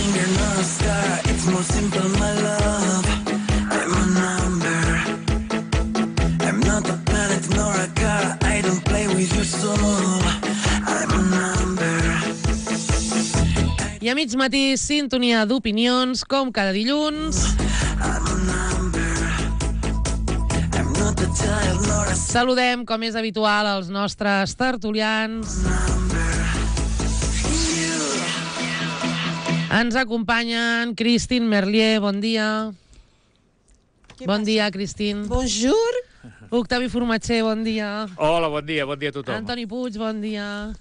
finger, not a star. It's more simple, my love. I'm a number. I'm not a planet nor a car. I don't play with your soul. I'm a number. I a mig matí, sintonia d'opinions, com cada dilluns. I'm a number. I'm not a child nor a Saludem, com és habitual, els nostres tertulians. Ens acompanyen Christine Merlier, bon dia. Bon dia, Christine. Bonjour. Octavi Formatger, bon dia. Hola, bon dia a tothom. Antoni Puig, bon dia.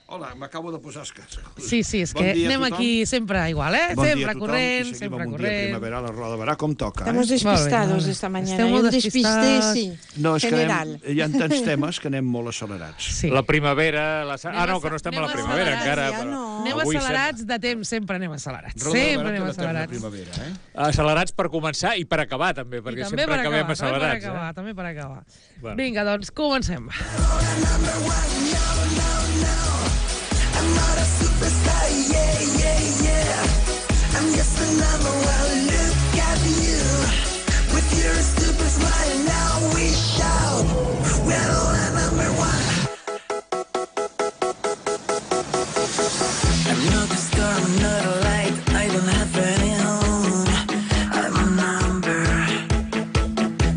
Hola, m'acabo de posar escasses. Sí, és que anem aquí sempre igual, Sempre corrent, sempre corrent. Bon dia, corrent. primavera, la roda verà com toca, Estamos despistados esta mañana. Esteu molt Un despiste, despistats. sí, No, és que general. hi ha tants temes que anem molt accelerats. Sí. La primavera... no, que no estem a la primavera accelerats, encara. ja Però no. Anem avui accelerats de temps, sempre anem accelerats. Roda de Sempre verà anem té l'eterna accelerats. primavera, Accelerats per començar i per acabar, també, perquè I també sempre per acabem acabar, accelerats. també per acabar. Bueno. Vinga, doncs, comencem. I'm not a superstar, yeah. I'm just a number one. Look at you with your stupid smile. Now we shout, we're all number one. I'm not a star, I'm not a light. I don't have any home. I'm a number.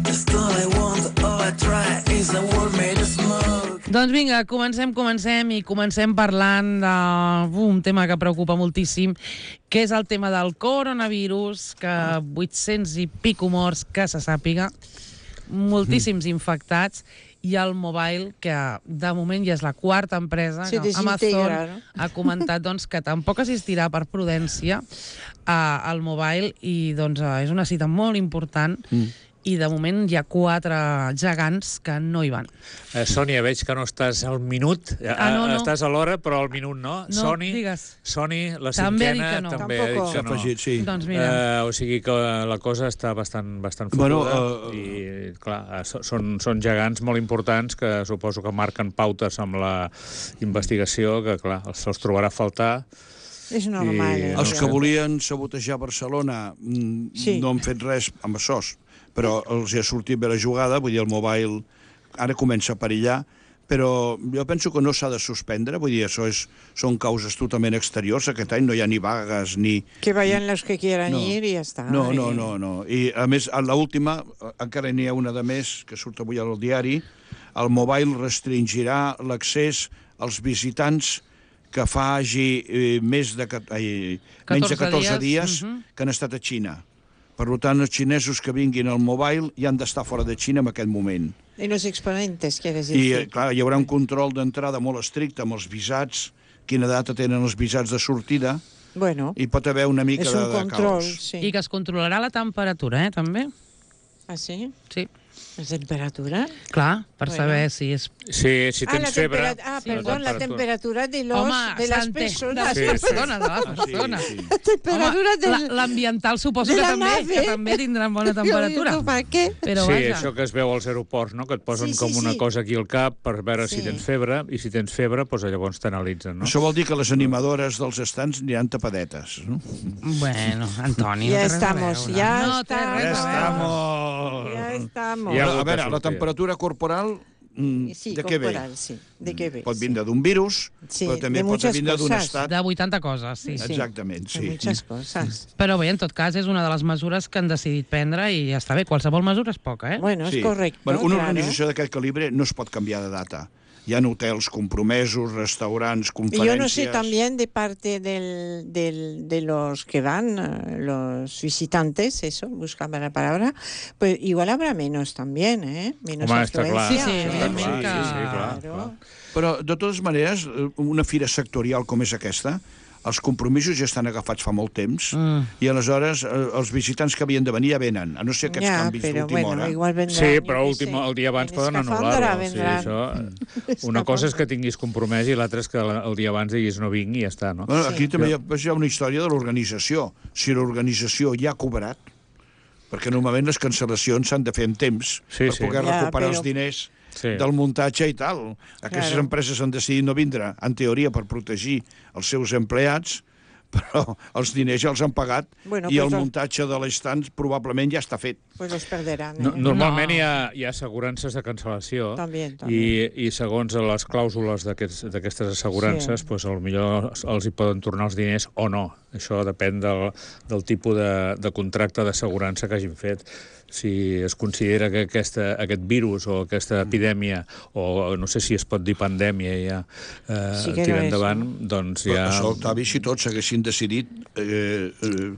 Just all I want, all I try is a world made of smoke. Doncs vinga, comencem parlant d'un tema que preocupa moltíssim, que és el tema del coronavirus, que 800 i pico morts que se sàpiga, moltíssims infectats, i el mobile, que de moment ja és la quarta empresa, Se que desintegra, Amazon no? ha comentat doncs, que tampoc assistirà per prudència al mobile, i doncs, és una cita molt important, i de moment hi ha 4 gegants que no hi van. Sònia, veig que no estàs al minut. No. Estàs a l'hora, però al minut no. No, digues. Soni, la També ha dit cinquena, que no. també ha dit Tampoc. que S'ha no. afegit, sí. Doncs mira, O sigui que la cosa està bastant Bueno, fotuda i, clar, són gegants molt importants que suposo que marquen pautes amb la investigació, que, clar, se'ls trobarà a faltar. És normal. I- Els que volien sabotejar Barcelona Sí. no han fet res amb SOS, però els hi ha sortit bé la jugada, vull dir, el mobile ara comença a perillar, però jo penso que no s'ha de suspendre, vull dir, això són causes totalment exteriors, aquest any no hi ha ni vagues ni... Que vayan los que quieran No. ir i ja està. No. I, a més, a l'última, encara n'hi ha una de més, que surt avui al diari, el mobile restringirà l'accés als visitants que hagi menys de 14 dies que han estat a Xina. Per tant, els xinesos que vinguin al mobile ja han d'estar fora de Xina en aquest moment. En los exponentes, quieres I, decir. clar, hi haurà un control d'entrada molt estricte amb els visats, quina data tenen els visats de sortida, Bueno, i pot haver una mica és de un control, caos. sí. i que es controlarà la temperatura, també. Ah, sí? Sí, La temperatura? clar, per Bueno. saber si és... Sí, si tens febre... Perdón, la temperatura de las personas. de les persones, de les persones. Sí. La temperatura Home, l'ambiental suposo de que la també, nave. que també tindran bona temperatura. Per què? Però Sí, vaja, això que es veu als aeroports, no? Que et posen Sí, com una sí. cosa aquí al cap per veure si Sí. tens febre, i si tens febre, doncs llavors t'analitzen, no? Això vol dir que les animadores dels estants aniran tapadetes, no? bueno, Antoni, Ja no té res a estamos, veure. ja No té res a veure. Ya estamos. Ja. A veure, la temperatura corporal, Sí, de què ve? corporal, sí. De què ve? Pot vindre d'un virus, Sí, però també de pot muchas vindre d'un cosas. estat... De 80 coses, sí. Sí. Exactament, Sí. sí. Muchas cosas. Però bé, en tot cas, és una de les mesures que han decidit prendre i ja està bé. Qualsevol mesura és poca, Bueno, Sí. es correcto. Bueno, una claro. organització d'aquest calibre no es pot canviar de data. Hi ha hotels compromesos, restaurants, Y conferències... yo no sé también de parte de los que van, los visitantes, eso, buscaba la palabra, pues igual habrá menos también, ¿eh? Menos Home, està clar. Sí, afluencia. sí, evidentment que... Claro. Però, de totes maneres, una fira sectorial com és aquesta, els compromisos ja estan agafats fa molt temps i aleshores els visitants que havien de venir ja venen, a no ser aquests canvis pero d'última bueno, hora. igual vendrán, Sí, yo però qué sé, el dia abans en poden escafandra anul·lar-ho. Sí, vendrán. això, una cosa és que tinguis compromès i l'altra és que el dia abans diguis no vinc i ja està, no? Bueno, aquí també hi ha una història de l'organització. Si l'organització ja ha cobrat, perquè normalment les cancel·lacions s'han de fer en temps Sí, per sí. poder Ja, recuperar però- els diners Sí. del muntatge i tal. Aquestes Claro. empreses han decidit no vindre, en teoria, per protegir els seus empleats, però els diners ja els han pagat Bueno, i pues el los- muntatge de l'estand probablement ja està fet. Pues los perderán. Normalment No. hi ha assegurances de cancel·lació També. i segons les clàusules d'aquestes assegurances, Sí. doncs, potser els hi poden tornar els diners o no. Això depèn del tipus de contracte d'assegurança que hagin fet. Si es considera que aquest virus o aquesta epidèmia, o no sé si es pot dir pandèmia ja, Sí que tira no és, endavant, doncs ja... Això, Octavi, si tots haguessin decidit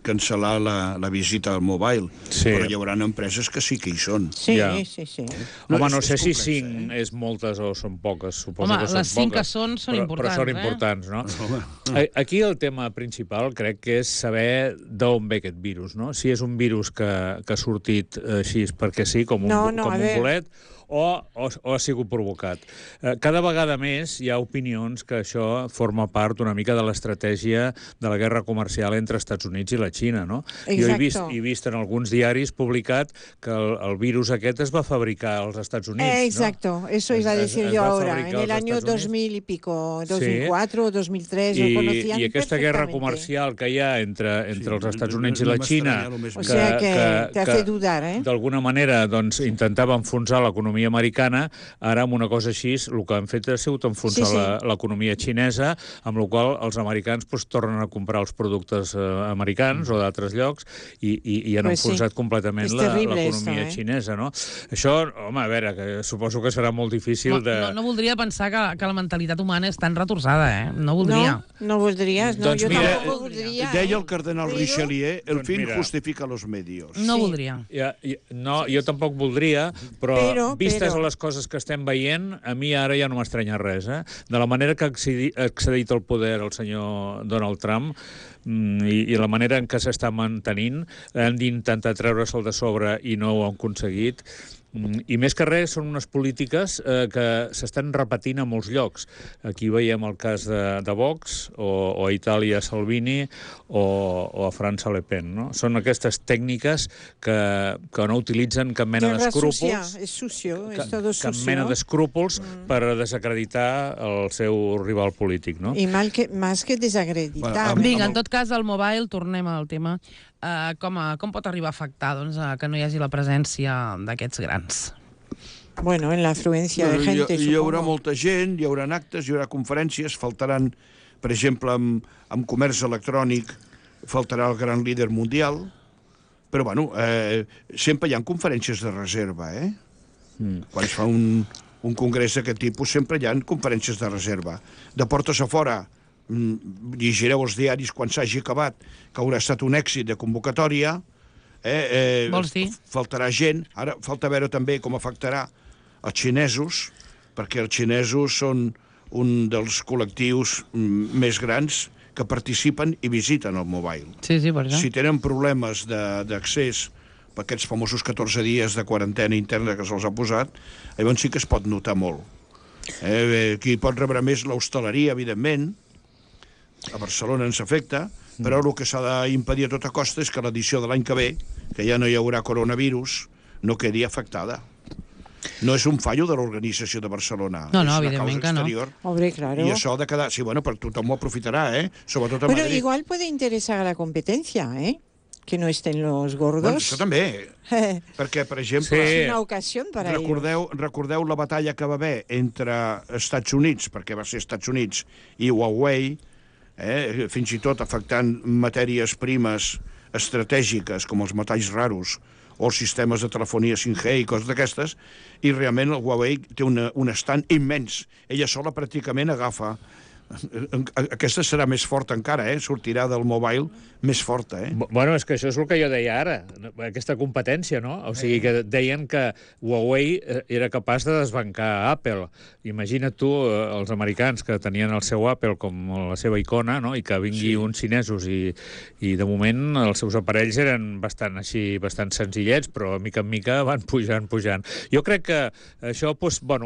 cancel·lar la visita al mobile, Sí. però hi haurà empreses que sí que hi són. Sí, Ja. sí, sí. Home, és- no sé és si complex, 5 és moltes o són poques. Suposo Home, que són les 5 que poques, són però són importants, importants, no? Aquí el tema principal crec que és saber d'on ve aquest virus, no? Si és un virus que ha sortit així perquè sí, com un, No, com a un ver. bolet, o ha sigut provocat. Cada vegada més hi ha opinions que això forma part una mica de l'estratègia de la guerra comercial entre Estats Units i la Xina, no? Jo Exacto. he vist en alguns diaris publicat que el virus aquest es va fabricar als Estats Units, Exacto, no? eso iba a decir Es yo va ahora. fabricar En el als año Estats Units. 2000 y pico, Sí. 2004 o 2003, lo conocían I aquesta guerra perfectamente. comercial que hi ha entre els Estats Units i no la Xina, m'estranya el més O sea que te hace dudar, ¿eh? d'alguna manera doncs, intentava enfonsar l'economia americana, ara amb una cosa així el que han fet ha sigut enfonsar Sí, sí. l'economia xinesa, amb la qual cosa els americans doncs, tornen a comprar els productes americans o d'altres llocs i han Pues sí. enfonsat completament És terrible l'economia esto, xinesa, no? Això, home, a veure, que suposo que serà molt difícil de... No voldria pensar que la mentalitat humana és tan retorçada, No, No voldria. no voldrías, no, Doncs yo mira, tampoco voldría. Deia el cardenal Pero- Richelieu, el Doncs fin mira. justifica los medios. No Sí. voldria. No, jo tampoc voldria, però vistes però- a les coses que estem veient, a mi ara ja no m'estranya res. De la manera que ha accedit al poder el senyor Donald Trump i la manera en què s'està mantenint, han d'intentar treure'l de sobre i no ho han aconseguit. I més que res són unes polítiques que s'estan repetint a molts llocs. Aquí veiem el cas de Vox, o a Itàlia Salvini, o a França Le Pen. No? Són aquestes tècniques que no utilitzen cap mena Guerra d'escrúpols, sucia, es sucio, es todo cap sucio. mena d'escrúpols per desacreditar el seu rival polític. No? Y más que desacreditar. Bueno, Vinga, en tot cas, el mobile, tornem al tema. Com pot arribar a afectar que no hi hagi la presència d'aquests grans? Bueno, en la afluencia de gente, Hi haurà supongo. molta gent, hi haurà actes, hi haurà conferències, faltaran, per exemple, amb comerç electrònic, faltarà el gran líder mundial, però, bueno, sempre hi ha conferències de reserva, Quan es fa un congrés d'aquest tipus, sempre hi ha conferències de reserva. De portes a fora, llegireu els diaris quan s'hagi acabat, que haurà estat un èxit de convocatòria, Vols dir? faltarà gent. Ara falta veure també com afectarà els xinesos, perquè els xinesos són un dels col·lectius més grans que participen i visiten el mobile. Sí, per això. Si tenen problemes d'accés per aquests famosos 14 dies de quarantena interna que se'ls ha posat, llavors sí que es pot notar molt. Qui pot rebre més l'hostaleria, evidentment, a Barcelona ens afecta, però el que s'ha d'impedir a tota costa és que l'edició de l'any que ve, que ja no hi haurà coronavirus, no quedi afectada. No és un fallo de l'organització de Barcelona. No, és una evidentment causa que no. exterior. Hombre, claro. I això ha de quedar... Sí, bueno, però tothom ho aprofitarà, Sobretot a Pero Madrid. igual puede interesar a la competencia, que no estén los Bueno, gordos. això també, perquè, per exemple... Sí. Es una ocasión para ellos. Recordeu la batalla que va haver entre Estats Units, perquè va ser Estats Units, i Huawei, fins i tot afectant matèries primes estratègiques com els metalls raros o els sistemes de telefonia 5G i coses d'aquestes, i realment el Huawei té un estand immens. Ella sola pràcticament agafa... Aquesta serà més forta encara, sortirà del mobile més forta. Bueno, és que això és el que jo deia ara, aquesta competència, no? O sigui, que deien que Huawei era capaç de desbancar Apple. Imagina't tu, els americans que tenien el seu Apple com la seva icona, no? I que vingui uns xinesos i de moment els seus aparells eren bastant senzillets, però mica en mica van pujant. Jo crec que això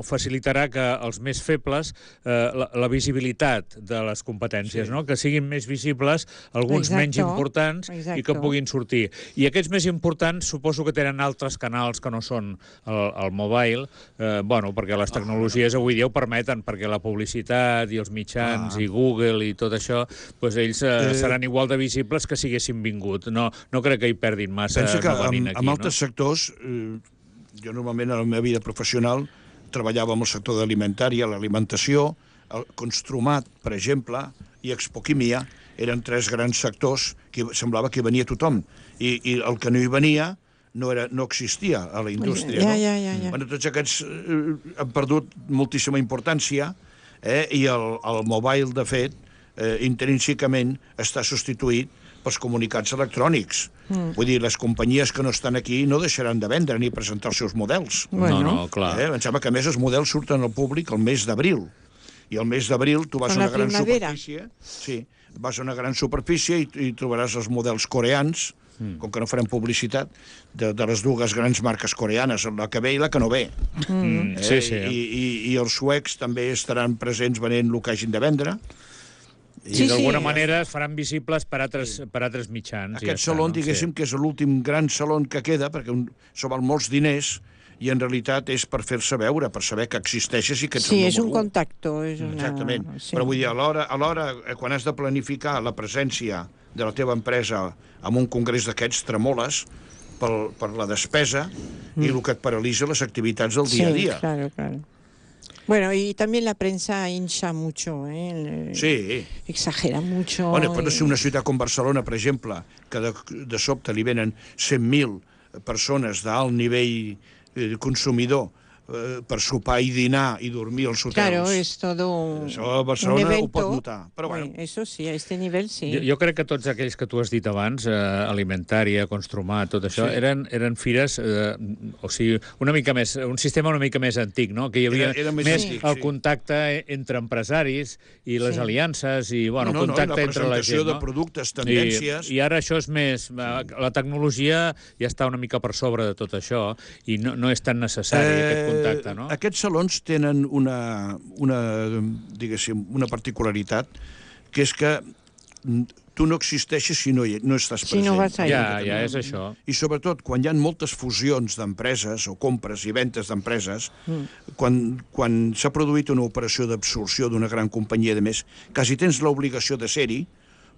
facilitarà que els més febles, la visibilitat meitat de les competències, no? Que siguin més visibles, alguns Exacto, menys importants, i que exacto. puguin sortir. I aquests més importants suposo que tenen altres canals que no són el mobile, bueno, perquè les tecnologies avui dia ho permeten, perquè la publicitat i els mitjans i Google i tot això, doncs ells seran igual de visibles que si haguessin vingut. No crec que hi perdin massa Pensa que no venint aquí. en altres sectors, jo normalment a la meva vida professional treballava en el sector d'alimentària, l'alimentació, el Construmat, per exemple, i Expoquímia, eren 3 grans sectors que semblava que hi venia tothom. I el que no hi venia no existia a la indústria. Ja. Bueno, tots aquests han perdut moltíssima importància, i el mobile, de fet, intrínsecament està substituït pels comunicats electrònics. Vull dir, les companyies que no estan aquí no deixaran de vendre ni presentar els seus models. No, clar. Em sembla que, a més, els models surten al públic el mes d'abril. I el mes d'abril tu vas a una gran superfície... Sí, vas a una gran superfície i trobaràs els models coreans, com que no farem publicitat, de les dues grans marques coreanes, la que ve i la que no ve. Sí. I els suecs també estaran presents venent el que hagin de vendre. I d'alguna manera es faran visibles per altres mitjans. Aquest saló, diguéssim, que és l'últim gran saló que queda, perquè s'ho val molts diners, i en realitat és per fer-se veure, per saber que existeixes i que ets el número 1. Sí, és un contacte. Exactament. Però vull dir, alhora, quan has de planificar la presència de la teva empresa en un congrés d'aquests, tremoles per la despesa i el que et paralitza les activitats del dia a dia. Sí, claro. Bueno, y también la prensa hincha mucho, Sí. Exagera mucho. Bueno, pot ser una ciutat com Barcelona, per exemple, que de sobte li venen 100.000 persones d'alt nivell consumidor per sopar i dinar i dormir als hotels. Claro, es todo Això a Barcelona un evento. ho pot notar. Però bueno. Eso sí, a este nivel sí. Jo crec que tots aquells que tu has dit abans, alimentària, Construmat, tot això, eren fires, o sigui, una mica més, un sistema una mica més antic, no? Que hi havia Era més més antic, el contacte entre empresaris i les aliances i, bueno, No, contacte la entre la gent, presentació de productes, tendències... I ara això és més... La tecnologia ja està una mica per sobre de tot això i no és tan necessari aquest contacte, no? Aquests salons tenen diguéssim, una particularitat, que és que tu no existeixes si no estàs present. Si no vas allà. Ja, és això. I sobretot, quan hi ha moltes fusions d'empreses o compres i ventes d'empreses, quan s'ha produït una operació d'absorció d'una gran companyia, de més, quasi tens l'obligació de ser-hi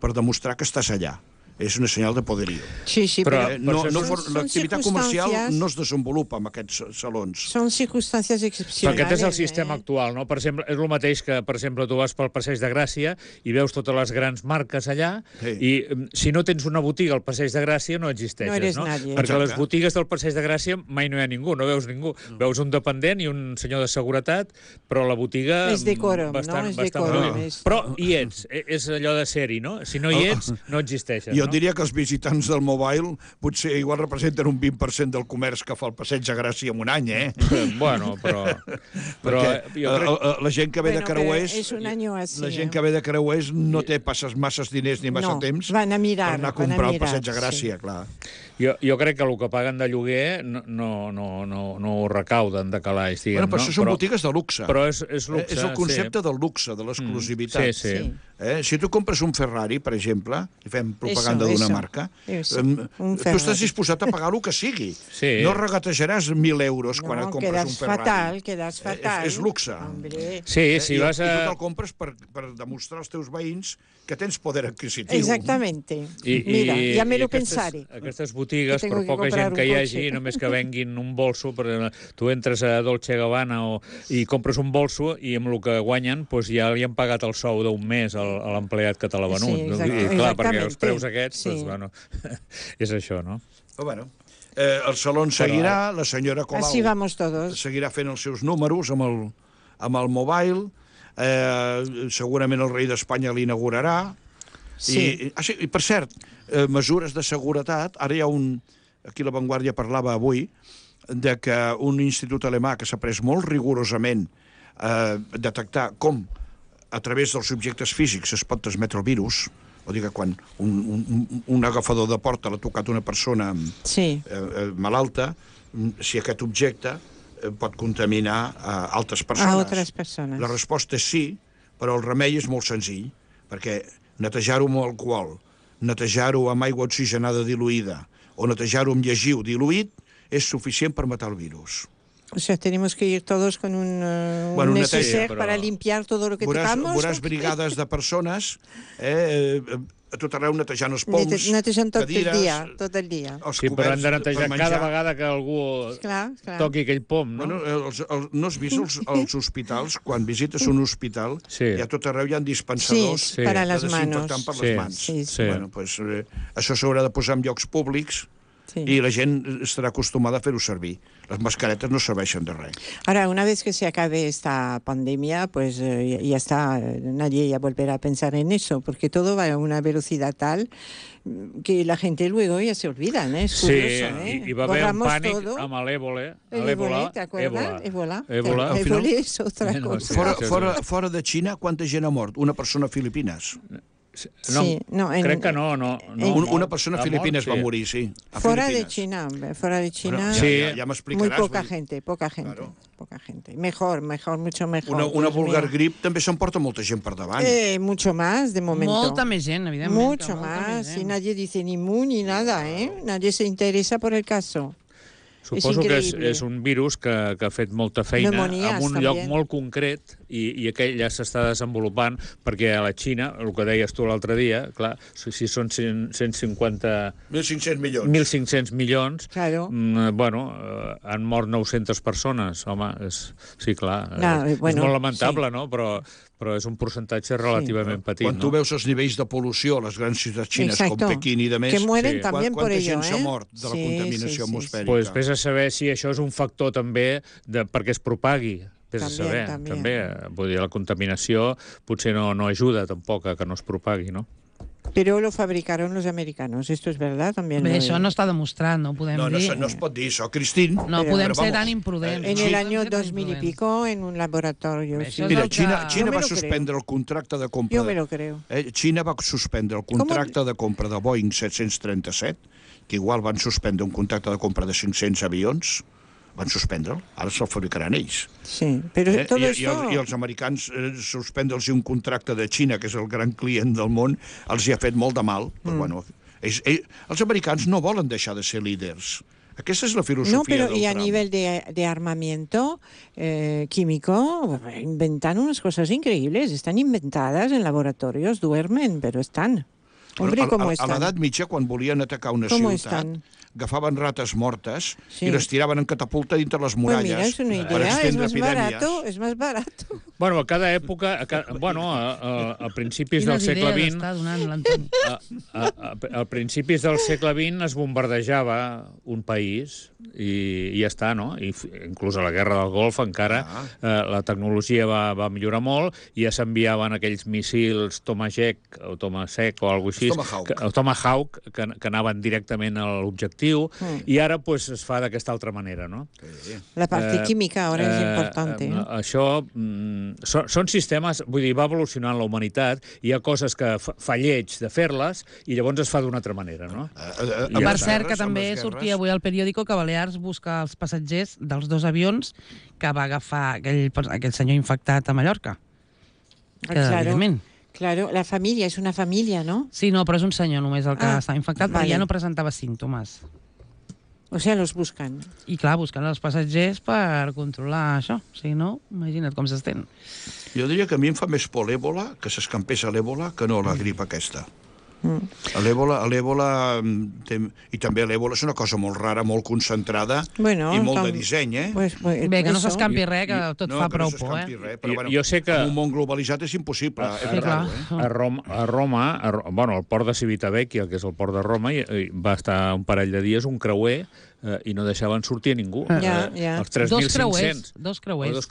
per demostrar que estàs allà. És una senyal de poderío. Sí, Però l'activitat comercial no es desenvolupa en aquests salons. Són circumstàncies excepcionals. Però aquest és el sistema actual, no? Per exemple, és el mateix que, per exemple, tu vas pel Passeig de Gràcia i veus totes les grans marques allà i si no tens una botiga al Passeig de Gràcia no existeixes, no? Eres no? nadie. Perquè les botigues del Passeig de Gràcia mai no hi ha ningú, no veus ningú. Veus un dependent i un senyor de seguretat, però la botiga... És decòrum, no? És decòrum. Però hi ets, és allò de ser-hi, no? Si no hi ets, no existeixes, no? Diria que els visitants del mobile potser igual representen un 20% del comerç que fa el Passeig de Gràcia en un any, Bueno, però jo crec... la gent que ve de Creuers... És un any així. La gent que ve de Creuers no té masses diners ni massa temps van a mirar, per anar a comprar el Passeig de Gràcia, clar. Jo crec que el que paguen de lloguer no ho recauden de calaix, diguem, però això són botigues de luxe. Però és luxe, és el concepte del luxe, de l'exclusivitat. Sí. Si tu compres un Ferrari, per exemple, i fem propaganda d'una marca, tu estàs disposat a pagar el que sigui. No regatejaràs 1.000 euros quan et compres un Ferrari. Quedas fatal. És luxe. Sí, vas a... I tu te'l compres per demostrar als teus veïns que tens poder adquisitiu. Exactamente. Mira, ja me lo pensaré. Aquestes botigues, per poca gent que hi hagi, només que venguin un bolso, tu entres a Dolce Gabbana i compres un bolso i amb el que guanyen ja li han pagat el sou d'un mes a l'empleat que te l'ha venut. I clar, perquè els preus aquests, és això, no? Però bueno, el saló seguirà, la senyora Colau seguirà fent els seus números amb el mobile, segurament el rei d'Espanya l'inaugurarà. I per cert, mesures de seguretat, ara hi ha aquí La Vanguardia parlava avui de que un institut alemà que s'ha pres molt rigorosament a detectar com a través dels objectes físics es pot transmetre el virus, o sigui que quan un agafador de porta l'ha tocat una persona malalta, si aquest objecte pot contaminar a altres persones. A altres persones. La resposta és sí, Però el remei és molt senzill, perquè netejar-ho amb alcohol, netejar-ho amb aigua oxigenada diluïda o netejar-ho amb llegiu diluït és suficient per matar el virus. O sea, tenemos que ir todos con un neceser para limpiar todo lo que tocamos. Veuràs brigades de persones a tot arreu netejant els pols, netejant tot cadires, tot el dia. Sí, però han de netejar cada vegada que algú toqui aquell pom, no? No has vist els hospitals? Quan visites un hospital, hi ha tot arreu hi ha dispensadors per a les manos. desinfectant per les mans. Sí. Pues, això s'haurà de posar en llocs públics y la gent estarà acostumada a fer-ho servir. Las mascaretas no serveixen de res. Ahora, una vez que se acabe esta pandemia, pues ya está, nadie ya volverá a pensar en eso, porque todo va a una velocidad tal que la gente luego ya se olvida, ¿no? Es curioso, ¿eh? I va haver un pànic amb l'èbola. L'èbola, ¿te acuerdas? Ébola es otra cosa. Fora de Xina, quanta gent ha mort? Una persona a Filipines. No, crec que no. Una persona a Filipines va morir, sí. Fuera de China, ja m'explicaràs. Muy poca gente. Mejor, mucho mejor. Una vulgar grip també s'emporta molta gent per davant. Mucho más, de momento. Molta més gent, evidentment. Mucho más, y nadie dice ni mu ni nada, ¿eh? Nadie se interesa por el caso. Suposo que és un virus que ha fet molta feina en un lloc molt concret i aquell ja s'està desenvolupant perquè a la Xina, el que deies tu l'altre dia, clar, si són 150... 1.500 milions, bueno, han mort 900 persones, home, sí, clar, és molt lamentable, no? Però és un percentatge relativament petit. Quan tu veus els nivells de pol·lució a les grans ciutats xines com Pequín i de més, quanta gent s'ha mort de la contaminació atmosfèrica? Pues vés a saber si això és un factor també perquè es propagui. Vés a saber, també. Vull dir, la contaminació potser no ajuda tampoc a que no es propagui, no? Pero lo fabricaron los americanos, esto es verdad también. Això no està demostrat, no podem dir. No es pot dir això, Cristín. No podem ser tan imprudents. En el año 2000 y pico, en un laboratorio. Mira, Xina va suspendre el contracte de compra... Jo me lo creo. Xina va suspendre el contracte de compra de Boeing 737, que igual van suspendre un contracte de compra de 500 avions, van suspendre'l, ara se'l fabricaran ells. Sí, però tot això... I els americans suspendre'ls un contracte de Xina, que és el gran client del món, els hi ha fet molt de mal. Però, bueno, els americans no volen deixar de ser líders. Aquesta és la filosofia del Trump. No, pero y a nivel de armamento químico, inventan unas cosas increíbles. Están inventadas en laboratorios, duermen, pero están. Hombre, ¿cómo están? A l'edat mitja, quan volien atacar una ciutat, agafaven rates mortes i les tiraven en catapulta dintre les muralles per estendre epidèmies. És més barat. Bueno, a cada època, a principis del segle XX, a principis del segle XX es bombardejava un país i ja està, no? Inclús a la Guerra del Golf encara la tecnologia va millorar molt i ja s'enviaven aquells missils Tomahawk o alguna cosa així, Tomahawk, que anaven directament a l'objectiu, i ara pues, es fa d'aquesta altra manera, no? La parte química ara és important. Això són sistemes, vull dir, va evolucionant la humanitat, hi ha coses que fa lleig de fer-les i llavors es fa d'una altra manera, no? Per cert, que també sortia avui al periòdico que Balears busca els passatgers dels 2 avions que va agafar aquell senyor infectat a Mallorca. Claro, la família, és una família, no? Sí, no, però és un senyor només el que està infectat, perquè ja no presentava símptomes. O sea, los buscan. I clar, busquen els passatgers per controlar això. Si no, imagina't com s'estén. Jo diria que a mi em fa més por l'èbola, que s'escampés a l'èbola, que no la grip aquesta. L'èbola, i també l'èbola és una cosa molt rara, molt concentrada i molt de disseny, Bé, que no s'escampi res, que tot fa prou por, Jo sé que en un món globalitzat és impossible a Roma, al port de Civitavecchia, que és el port de Roma, va estar un parell de dies un creuer i no deixaven sortir a ningú. Els 3.500. Dos creuers.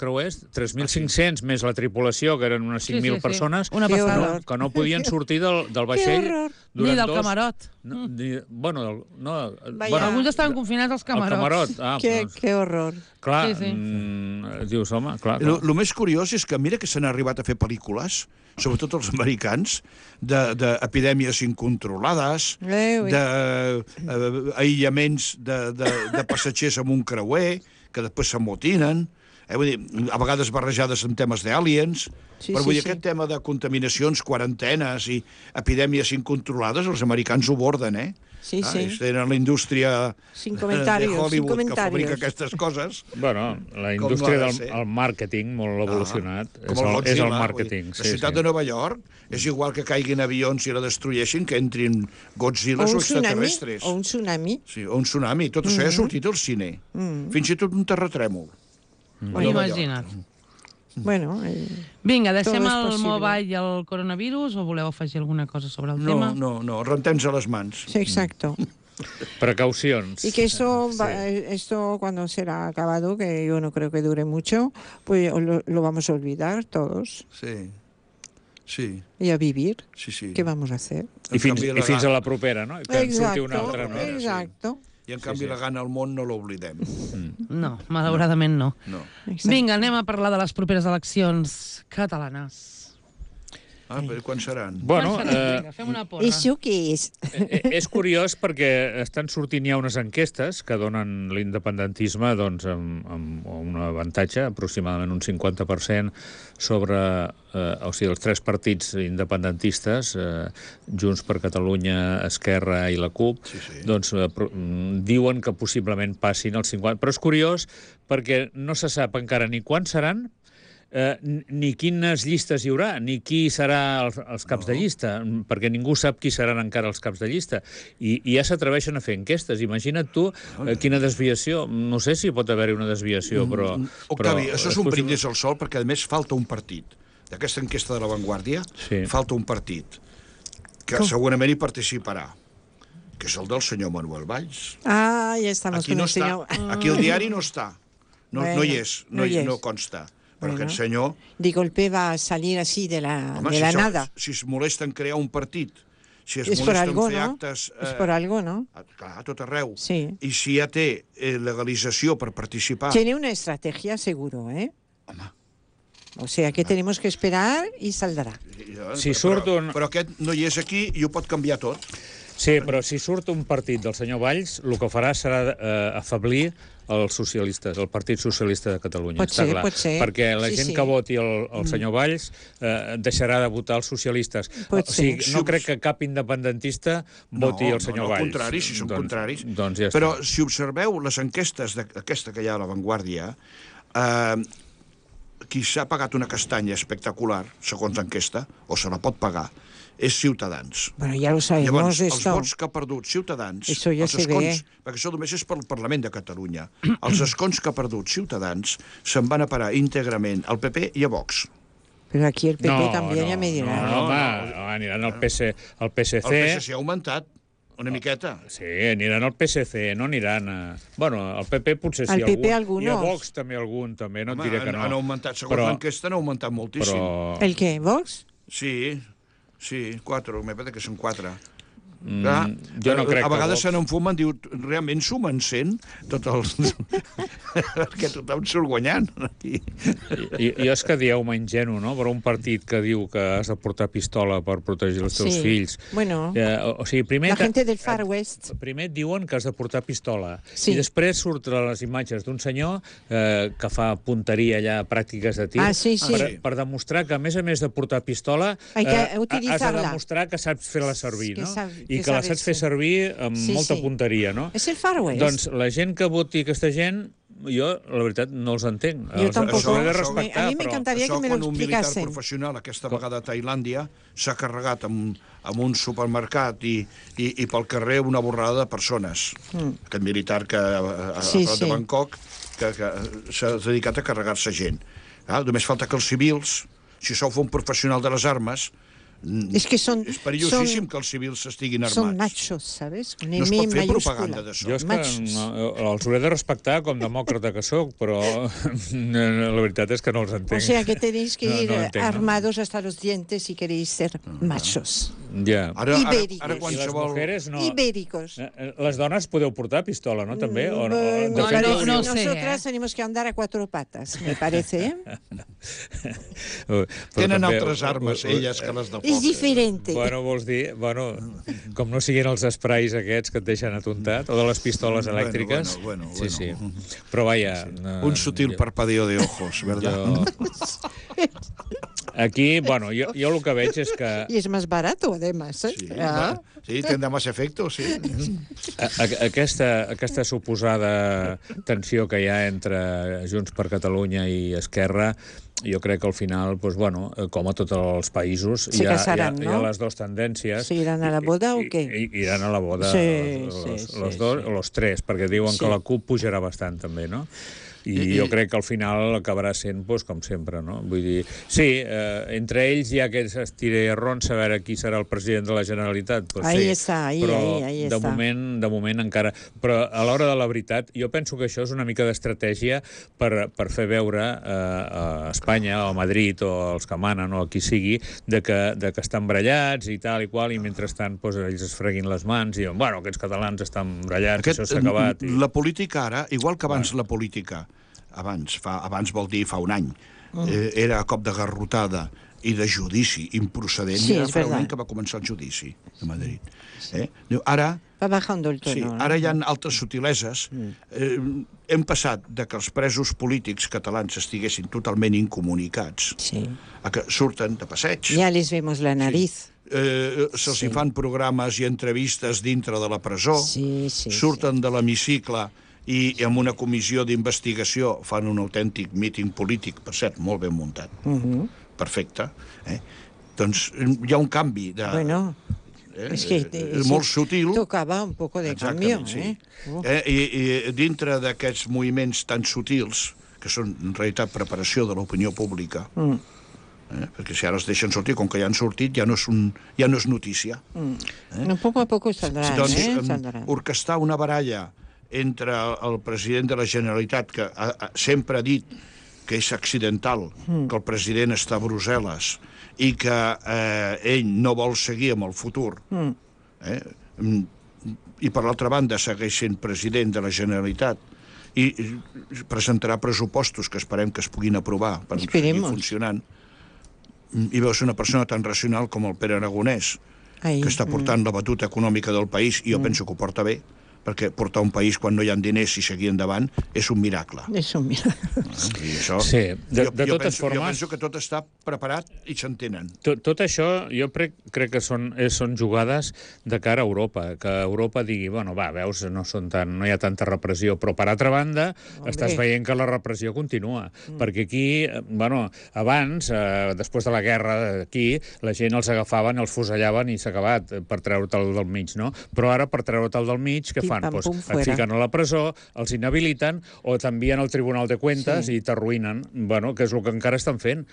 3.500 més la tripulació, que eren unes 5.000 persones, que no podien sortir del vaixell ni del camarot. Alguns estaven confinats als camarots. Que horror. Clar, dius, home, clar. El més curiós és que mira que s'han arribat a fer pel·lícules, sobretot els americans, d'epidèmies incontrolades, d'aïllaments de passatgers amb un creuer, que després s'amotinen. Vull dir, a vegades barrejades amb temes d'aliens, però vull dir, aquest tema de contaminacions, quarantenes i epidèmies incontrolades, els americans ho borden, Sí, sí. Ells tenen la indústria Sin de comentarios, sin Hollywood que comentarios. fabrica aquestes coses. Bueno, la Com indústria no ha de del ser. màrqueting, molt evolucionat, Com és el el Godzilla, màrqueting. La ciutat de Nova York és igual que caiguin avions i la destrueixin, que entrin Godzillas o extraterrestres. O un tsunami. Sí, o un tsunami. Tot això ja ha sortit al cine. Fins i tot un terratrèmol. Imagina't. Bueno, Vinga, deixem Todo es el possible. mobile i el coronavirus o voleu afegir alguna cosa sobre el tema? No, rentem-nos a les mans. sí, exacto. Precaucions. Y que esto cuando será acabado, que yo no creo que dure mucho, pues lo vamos a olvidar todos Sí. y a vivir. Sí. ¿Qué vamos a hacer? I fins a la propera, no? Que en surti una altra, no? Exacto. I en canvi la gana al món no l'oblidem. No, malauradament no. No. exacto. Vinga, anem a parlar de les properes eleccions catalanes. Però quan seran? Bueno, Vinga, fem una porra. ¿Eso qué es? és curiós perquè estan sortint ja unes enquestes que donen l'independentisme doncs, amb un avantatge, aproximadament un 50% sobre o sigui, els tres partits independentistes, Junts per Catalunya, Esquerra i la CUP, doncs diuen que possiblement passin el 50%. Però és curiós perquè no se sap encara ni quan seran, ni quines llistes hi haurà, ni qui serà els caps de llista, perquè ningú sap qui seran encara els caps de llista. I ja s'atreveixen a fer enquestes. Imagina't tu quina desviació. No sé si pot haver-hi una desviació, però... Octavi, això és un brindis al sol, perquè a més falta un partit. D'aquesta enquesta de La Vanguardia, falta un partit que segurament hi participarà, que és el del senyor Manuel Valls. Ah, ya estamos Aquí con no el està. señor. Aquí el diari no està. No hi és, no hi és. no consta. Però Bueno. aquest senyor... De golpe va a salir así de la nada. Si es molesta en crear un partit, si es Es por molesta algo, en fer ¿no? actes... Es por algo, ¿no? Clar, a tot arreu. Sí. I si ja té legalització per participar... Tiene una estrategia seguro, ¿eh? Home. O sea que tenemos que esperar y saldrá. Si surt un... Però aquest no hi és aquí i ho pot canviar tot. Sí, però si surt un partit del senyor Valls, el que farà serà afablir els socialistes, el Partit Socialista de Catalunya. Pot està ser, clar. pot ser. Perquè la Sí, gent sí. que voti el senyor Valls deixarà de votar els socialistes. Pot O sigui, ser. no crec que cap independentista voti el senyor no, Valls. al contrari, si són contraris. Doncs ja Però està. si observeu les enquestes d'aquesta que hi ha a La Vanguardia, qui s'ha pagat una castanya espectacular, segons l'enquesta, o se la pot pagar, és Ciutadans. Bueno, ya lo sabemos Llavors, els esto. vots que ha perdut Ciutadans, Això ja els se escons, ve. perquè això només és pel Parlament de Catalunya, els escons que ha perdut Ciutadans se'n van a parar íntegrament al PP i a Vox. Pero aquí el PP también ya me dirá. No, home, aniran al PSC. El PSC ha augmentat una miqueta. Sí, aniran al PSC, no aniran a... Bueno, al PP potser sí, Al PP algun. I a algunos. Vox també algun, també, no et Home, diré que no. han augmentat, segons l'enquesta, han augmentat moltíssim. Però... ¿El qué? ¿Vox? Sí, 4, me parece que són 4. jo no crec a vegades que se n'enfumen, diu, realment sumen 100, tots els... perquè tothom surt guanyant. Jo és que dieu-me ingenu, no? Però un partit que diu que has de portar pistola per protegir els teus Sí. fills. Bueno, O sigui, primer... la gente del Far West. Primer et diuen que has de portar pistola Sí. i després surten les imatges d'un senyor que fa punteria allà, pràctiques de tir, Ah, sí, sí. per demostrar que, a més de portar pistola, Hay que has de utilizarla. demostrar que saps fer-la servir, Que no? que I que la sabes saps fer servir amb Sí, molta sí. punteria, no? Es el Far West. Doncs la gent que voti aquesta gent, jo, la veritat, no els entenc. Jo tampoc. Els hauré de respectar, A mi però... m'encantaria Això que me lo quan un militar explicasen. professional, aquesta vegada a Tailàndia, s'ha carregat amb un supermercat i pel carrer una borrada de persones. Aquest militar que a Sí, prop sí. de Bangkok que s'ha dedicat a carregar-se gent. Només falta que els civils, si sou un professional de les armes, Es que son, és perillosíssim que els civils estiguin armats. son machos, ¿sabes? Con No es M pot fer mayúscula. propaganda d'això. Jo és que Machos. els hauré de respectar com demòcrata que sóc, però la veritat és que no els entenc. O sea que tenéis que No, ir no entenc, no. armados hasta los dientes si queréis ser machos. Ja. Ibéricos. Ara I les qualsevol... mujeres no... Ibéricos. Les dones podeu portar pistola, no? També? O no? Me De fet, parece, no sé, nosotras tenemos que andar a 4 patas, me parece. Però Tenen també- altres armes, elles, que les de Es foc. diferente. Bueno, vols dir, com no siguin els esprais aquests que et deixen atontat, o de les pistoles elèctriques. Bueno. Sí. Però vaja... Un sutil parpadeo de ojos, ¿verdad? Aquí, bueno, jo el que veig és que Y es más barato, además. ¿eh? Sí, Ah. sí, tendrá más efecto, sí. aquesta suposada tensió que hi ha entre Junts per Catalunya i Esquerra, jo crec que al final, doncs, bueno, com a tots els països, Se casaran, hi ha no? les dues tendències. ¿Se irán a la boda o qué? Iran a la boda Sí, los sí, dos, sí. o los tres, perquè diuen Sí. que la CUP pujarà bastant també, no? I jo crec que al final acabarà sent, doncs, com sempre, no? Vull dir, sí, entre ells hi ha aquests estirerrons a veure qui serà el president de la Generalitat. Doncs Ahí sí, està, ahí de està. moment encara... Però a l'hora de la veritat, jo penso que això és una mica d'estratègia per fer veure a Espanya o a Madrid o als que manen o a qui sigui de que estan brallats i tal i qual, i mentrestant doncs, ells es freguin les mans i diuen, bueno, aquests catalans estan brallats, això s'ha acabat. La política ara, igual que abans la política, abans vol dir fa un any, era a cop de garrotada i de judici improcedent. Sí, Era és fa un verdad. any que va començar el judici a Madrid. Diu, ara Va bajando el tono. sí, ¿no? ara hi ha altres subtileses. Hem passat de que els presos polítics catalans estiguessin totalment incomunicats Sí. a que surten de passeig. Ya les vemos la nariz. Se'ls hi fan programes i entrevistes dintre de la presó, Sí, sí, surten de l'hemicicle i amb una comissió d'investigació fan un autèntic míting polític, per cert, molt ben muntat. Perfecte. Doncs hi ha un canvi de... Bueno, es que molt sutil. tocaba un poco de cambio. Sí. ¿eh? I dintre d'aquests moviments tan sutils, que són en realitat preparació de l'opinió pública, perquè si ara els deixen sortir, com que ja han sortit, ja no és notícia. No, poco a poco saldrán, Doncs saldrán. orquestar una baralla entre el president de la Generalitat, que sempre ha dit que és accidental, que el president està a Brussel·les i que ell no vol seguir amb el futur, i per l'altra banda segueix sent president de la Generalitat i presentarà pressupostos que esperem que es puguin aprovar per seguir Esperemos. funcionant, i veus una persona tan racional com el Pere Aragonès, Ahí. que està portant la batuta econòmica del país, i jo penso que ho porta bé, perquè portar un país quan no hi ha diners i seguir endavant és un miracle. Eso, mira. I això, Sí, de jo totes penso, jo formes- penso que tot està preparat i s'entenen. Tot això jo crec que són jugades de cara a Europa, que Europa digui, bueno, va, veus, no hi ha tanta repressió, però per altra banda estàs veient que la repressió continua, perquè aquí, bueno, abans, després de la guerra aquí, la gent els agafaven, els fusellaven i s'ha acabat per treure-te'l del mig, no? Però ara, per treure-te'l del mig, què fan? Pim, pam, pum, Et fuera. fiquen a la presó, els inhabiliten o t'envien al Tribunal de Cuentas i t'arruïnen, bueno, que és el que encara estan fent.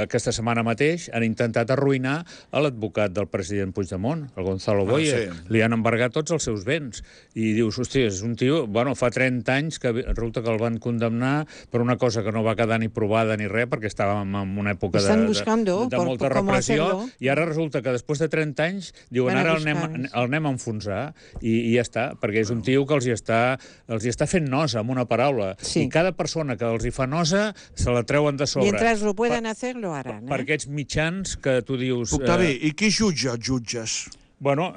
Aquesta setmana mateix han intentat arruïnar a l'advocat del president Puigdemont, el Gonzalo Boye. sí. Li han embargat tots els seus béns. I dius, hòstia, és un tio... Bueno, fa 30 anys que resulta que el van condemnar per una cosa que no va quedar ni provada ni res, perquè estàvem en una època Estan buscando de por molta cómo repressió, hacerlo. i ara resulta que després de 30 anys diuen, Van a ara buscar, el anem a enfonsar, i ja està, perquè és un tio que els hi està fent nosa, amb una paraula. Sí. I cada persona que els hi fa nosa se la treuen de sobre. Mientras lo puedan hacer, lo harán. Per aquests mitjans que tu dius... Octavi, i qui jutja els jutges? Bueno,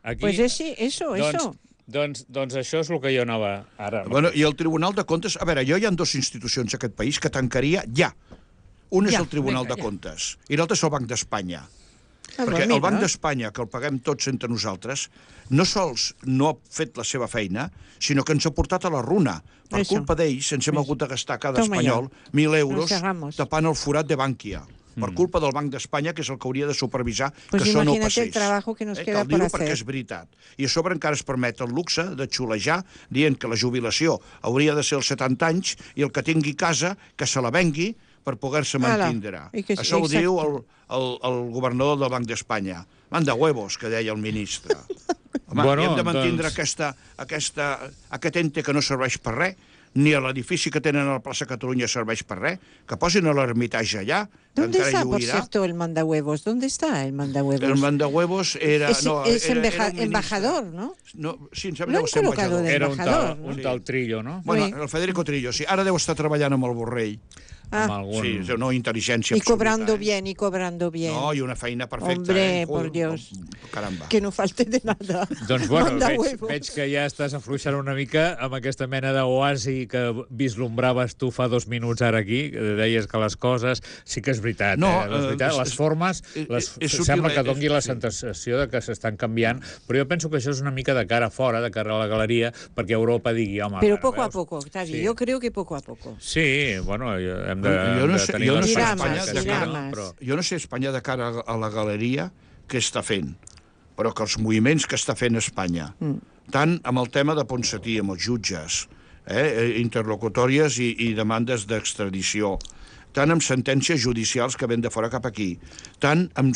aquí... Pues eso. Doncs això és el que jo anava ara. Bueno, i el Tribunal de Comptes... A veure, hi ha dues institucions a aquest país que tancaria ja. Un és Ja, el Tribunal vinga, de ja. Comptes i l'altre és el Banc d'Espanya. Ah, Perquè mira. el Banc d'Espanya, que el paguem tots entre nosaltres, no sols no ha fet la seva feina, sinó que ens ha portat a la runa. Per Això. culpa d'ells ens hem hagut de gastar cada Toma espanyol ya. 1.000 euros Nos cerramos. tapant el forat de Bànquia. Per culpa del Banc d'Espanya, que és el que hauria de supervisar Pues que això no imagínate passés. el trabajo que nos Que queda el por diu hacer. perquè és veritat. I a sobre encara es permet el luxe de xulejar dient que la jubilació hauria de ser als 70 anys i el que tingui casa, que se la vengui per poder-se Ala. mantindre. I que- Això ho exacte. diu el governador del Banc d'Espanya. Manda huevos, que deia el ministre. Home, Bueno, hem de mantindre doncs- aquest ente que no serveix per res, ni a l'edifici que tenen a la plaça Catalunya serveix per res, que posin a l'Ermitage allà, que ¿Dónde encara está, por lluirà. cierto, el mandahuevos? ¿Dónde está el mandahuevos? El mandahuevos era... Es, no, es era un ministre. embajador, ¿no? No, sí, em Lo sembla han que deu ser colocado embajador. de Era embajador, ¿no? un tal Trillo, no? Bueno, Sí. el Federico Trillo, sí. Ara deu estar treballant amb el Borrell. Amb algun... Sí, no, intel·ligència Y cobrando absoluta. bien, y cobrando bien. No, i una feina perfecta. Hombre, Joder, por Dios. Caramba. Que no falte de nada. Doncs bueno, Mandahuevos. veig que ja estàs afluixant una mica amb aquesta mena d'oasi que vislumbraves tu fa 2 minuts ara aquí, que deies que les coses... Sí que és veritat, No, és veritat. Les formes sembla que doni la sensació de que s'estan canviant, però jo penso que això és una mica de cara a fora, de cara a la galeria, perquè Europa digui, home... Pero ara, poco a veus? poco, Octavio. Sí. Yo creo que poco a poco. Sí, bueno, hem de, Jo no sé- tenir jo no les sé Dirà esperances más, que dirà sí, más. però... Jo no sé Espanya de cara a la galeria què està fent, però que els moviments que està fent Espanya, tant amb el tema de Ponsatí, amb els jutges, interlocutòries i demandes d'extradició, tant amb sentències judicials que ven de fora cap aquí, tant amb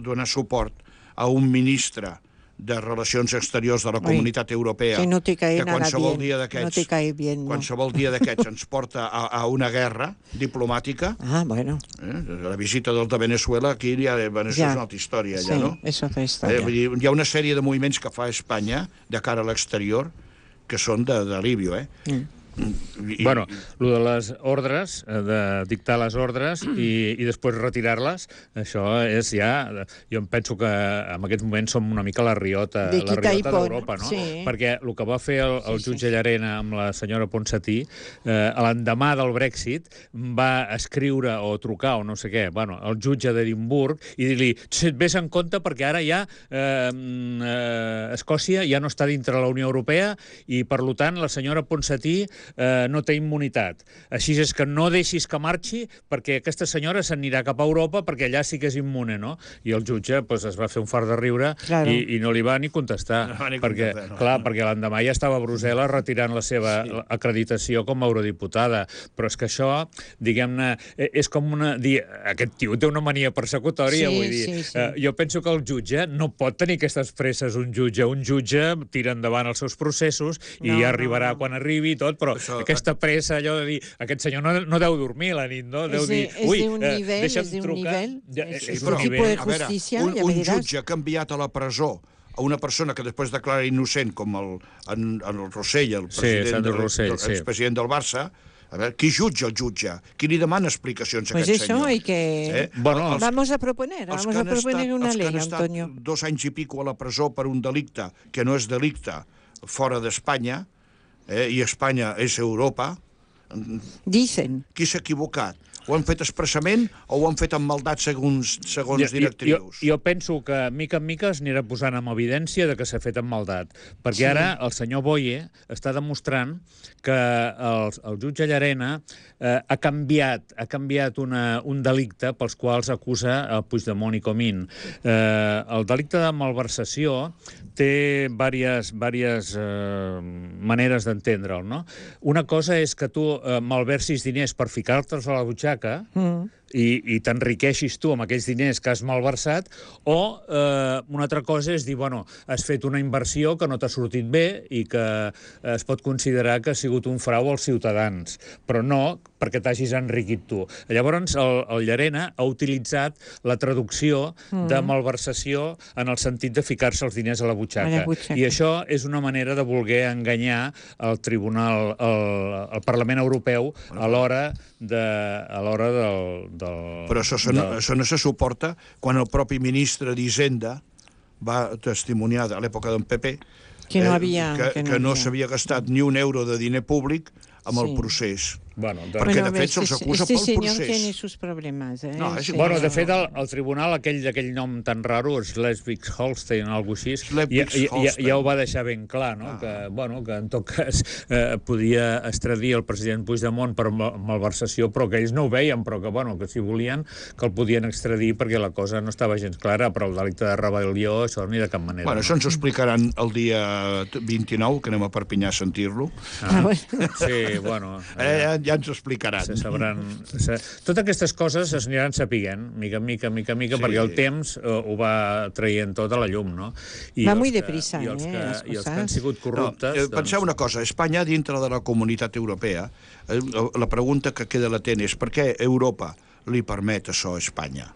donar suport a un ministre de Relacions Exteriors de la Comunitat Europea que no te cae que nada qualsevol bien, dia no d'aquests te cae bien, no. qualsevol dia d'aquests ens porta a una guerra diplomàtica. Ah, bueno. La visita del de Venezuela, aquí ja, Venezuela Ja. és una altra història, Sí, ja, no? és otra història. Vull dir, hi ha una sèrie de moviments que fa Espanya de cara a l'exterior que són d'alivio, Bueno, el de les ordres, de dictar les ordres i després retirar-les, això és ja... Jo em penso que en aquests moments som una mica la riota De quitar i pon, d'Europa, no? sí. Perquè el que va fer el jutge Llarena amb la senyora Ponsatí, l'endemà del Brexit, va escriure o trucar o no sé què, bueno, al jutge d'Edimburg i dir-li, vés en compte perquè ara ja Escòcia ja no està dintre la Unió Europea i, per tant, la senyora Ponsatí no té immunitat. Així és que no deixis que marxi perquè aquesta senyora s'anirà cap a Europa perquè allà sí que és immune, no? I el jutge pues, es va fer un fart de riure Claro. i no li va ni contestar. No va ni perquè, contestar, no. clar, perquè l'endemà ja estava a Brussel·les retirant la seva acreditació com a eurodiputada. Però és que això, diguem-ne, és com una... Aquest tio té una mania persecutòria, Sí, vull dir. sí. Jo penso que el jutge no pot tenir aquestes presses, un jutge. Un jutge tira endavant els seus processos i No, ja arribarà no. quan arribi i tot, però aquesta pressa, allò de dir, aquest senyor no deu dormir la nit, no? Deu dir, és d'un nivell, deixa'm és d'un trucar. nivell. Ja, És és un un tipus de nivell. a veure, justícia, ja un veuràs. jutge que ha enviat a la presó a una persona que després declara innocent, com el Rossell, el president, Sandro Rossell, sí. expresident del Barça, a veure, qui jutja el jutge? Qui li demana explicacions a Pues aquest eso senyor? hay que... Bueno, Vamos a proponer Els una que ley, han estat Antonio. 2 anys i pico a la presó per un delicte que no és delicte fora d'Espanya, i Espanya és Europa, Dicen. qui s'ha equivocat? Ho han fet expressament o ho han fet amb maldat segons directrius? Jo penso que, mica en mica, es anirà posant en evidència de que s'ha fet amb maldat. Perquè ara el senyor Boye està demostrant que el jutge Llarena ha canviat un delicte pels quals acusa el Puigdemont i Comín. El delicte de malversació té diverses maneres d'entendre'l, no? Una cosa és que tu malversis diners per ficar-te'ls a la butxaca i t'enriqueixis tu amb aquells diners que has malversat, o una altra cosa és dir, bueno, has fet una inversió que no t'ha sortit bé i que es pot considerar que ha sigut un frau als ciutadans, però no perquè t'hagis enriquit tu. Llavors, el Llarena ha utilitzat la traducció de malversació en el sentit de ficar-se els diners a la butxaca. I això és una manera de voler enganyar el Tribunal, el Parlament Europeu a l'hora del... Però això no se suporta quan el propi ministre d'Hisenda va testimoniar a l'època d'en Pepe Que no s'havia gastat ni un euro de diner públic amb el procés. Bueno, perquè, de fet, se'ls acusa pel señor procés. tiene sus problemas. No, és igual. Bueno, de fet, el tribunal, aquell nom tan raro, Schleswig-Holstein, o alguna cosa així, ja ho va deixar ben clar, no? Que en tot cas podia extradir el president Puigdemont per malversació, però que ells no ho veien, però que si volien, que el podien extradir perquè la cosa no estava gens clara, però el delicte de rebel·lió, això ni de cap manera. Bueno, això ens ho explicaran el dia 29, que anem a Perpinyà a sentir-lo. Sí, bueno... ja ens ho explicaran. Se sabran... Totes aquestes coses es aniran sapiguent, mica en mica, perquè el temps ho va traient tot a la llum, no? Va muy deprisa, I els las que cosas. han sigut corruptes... Penseu una cosa, Espanya, dintre de la comunitat europea, la pregunta que queda latent és per què Europa li permet això a Espanya?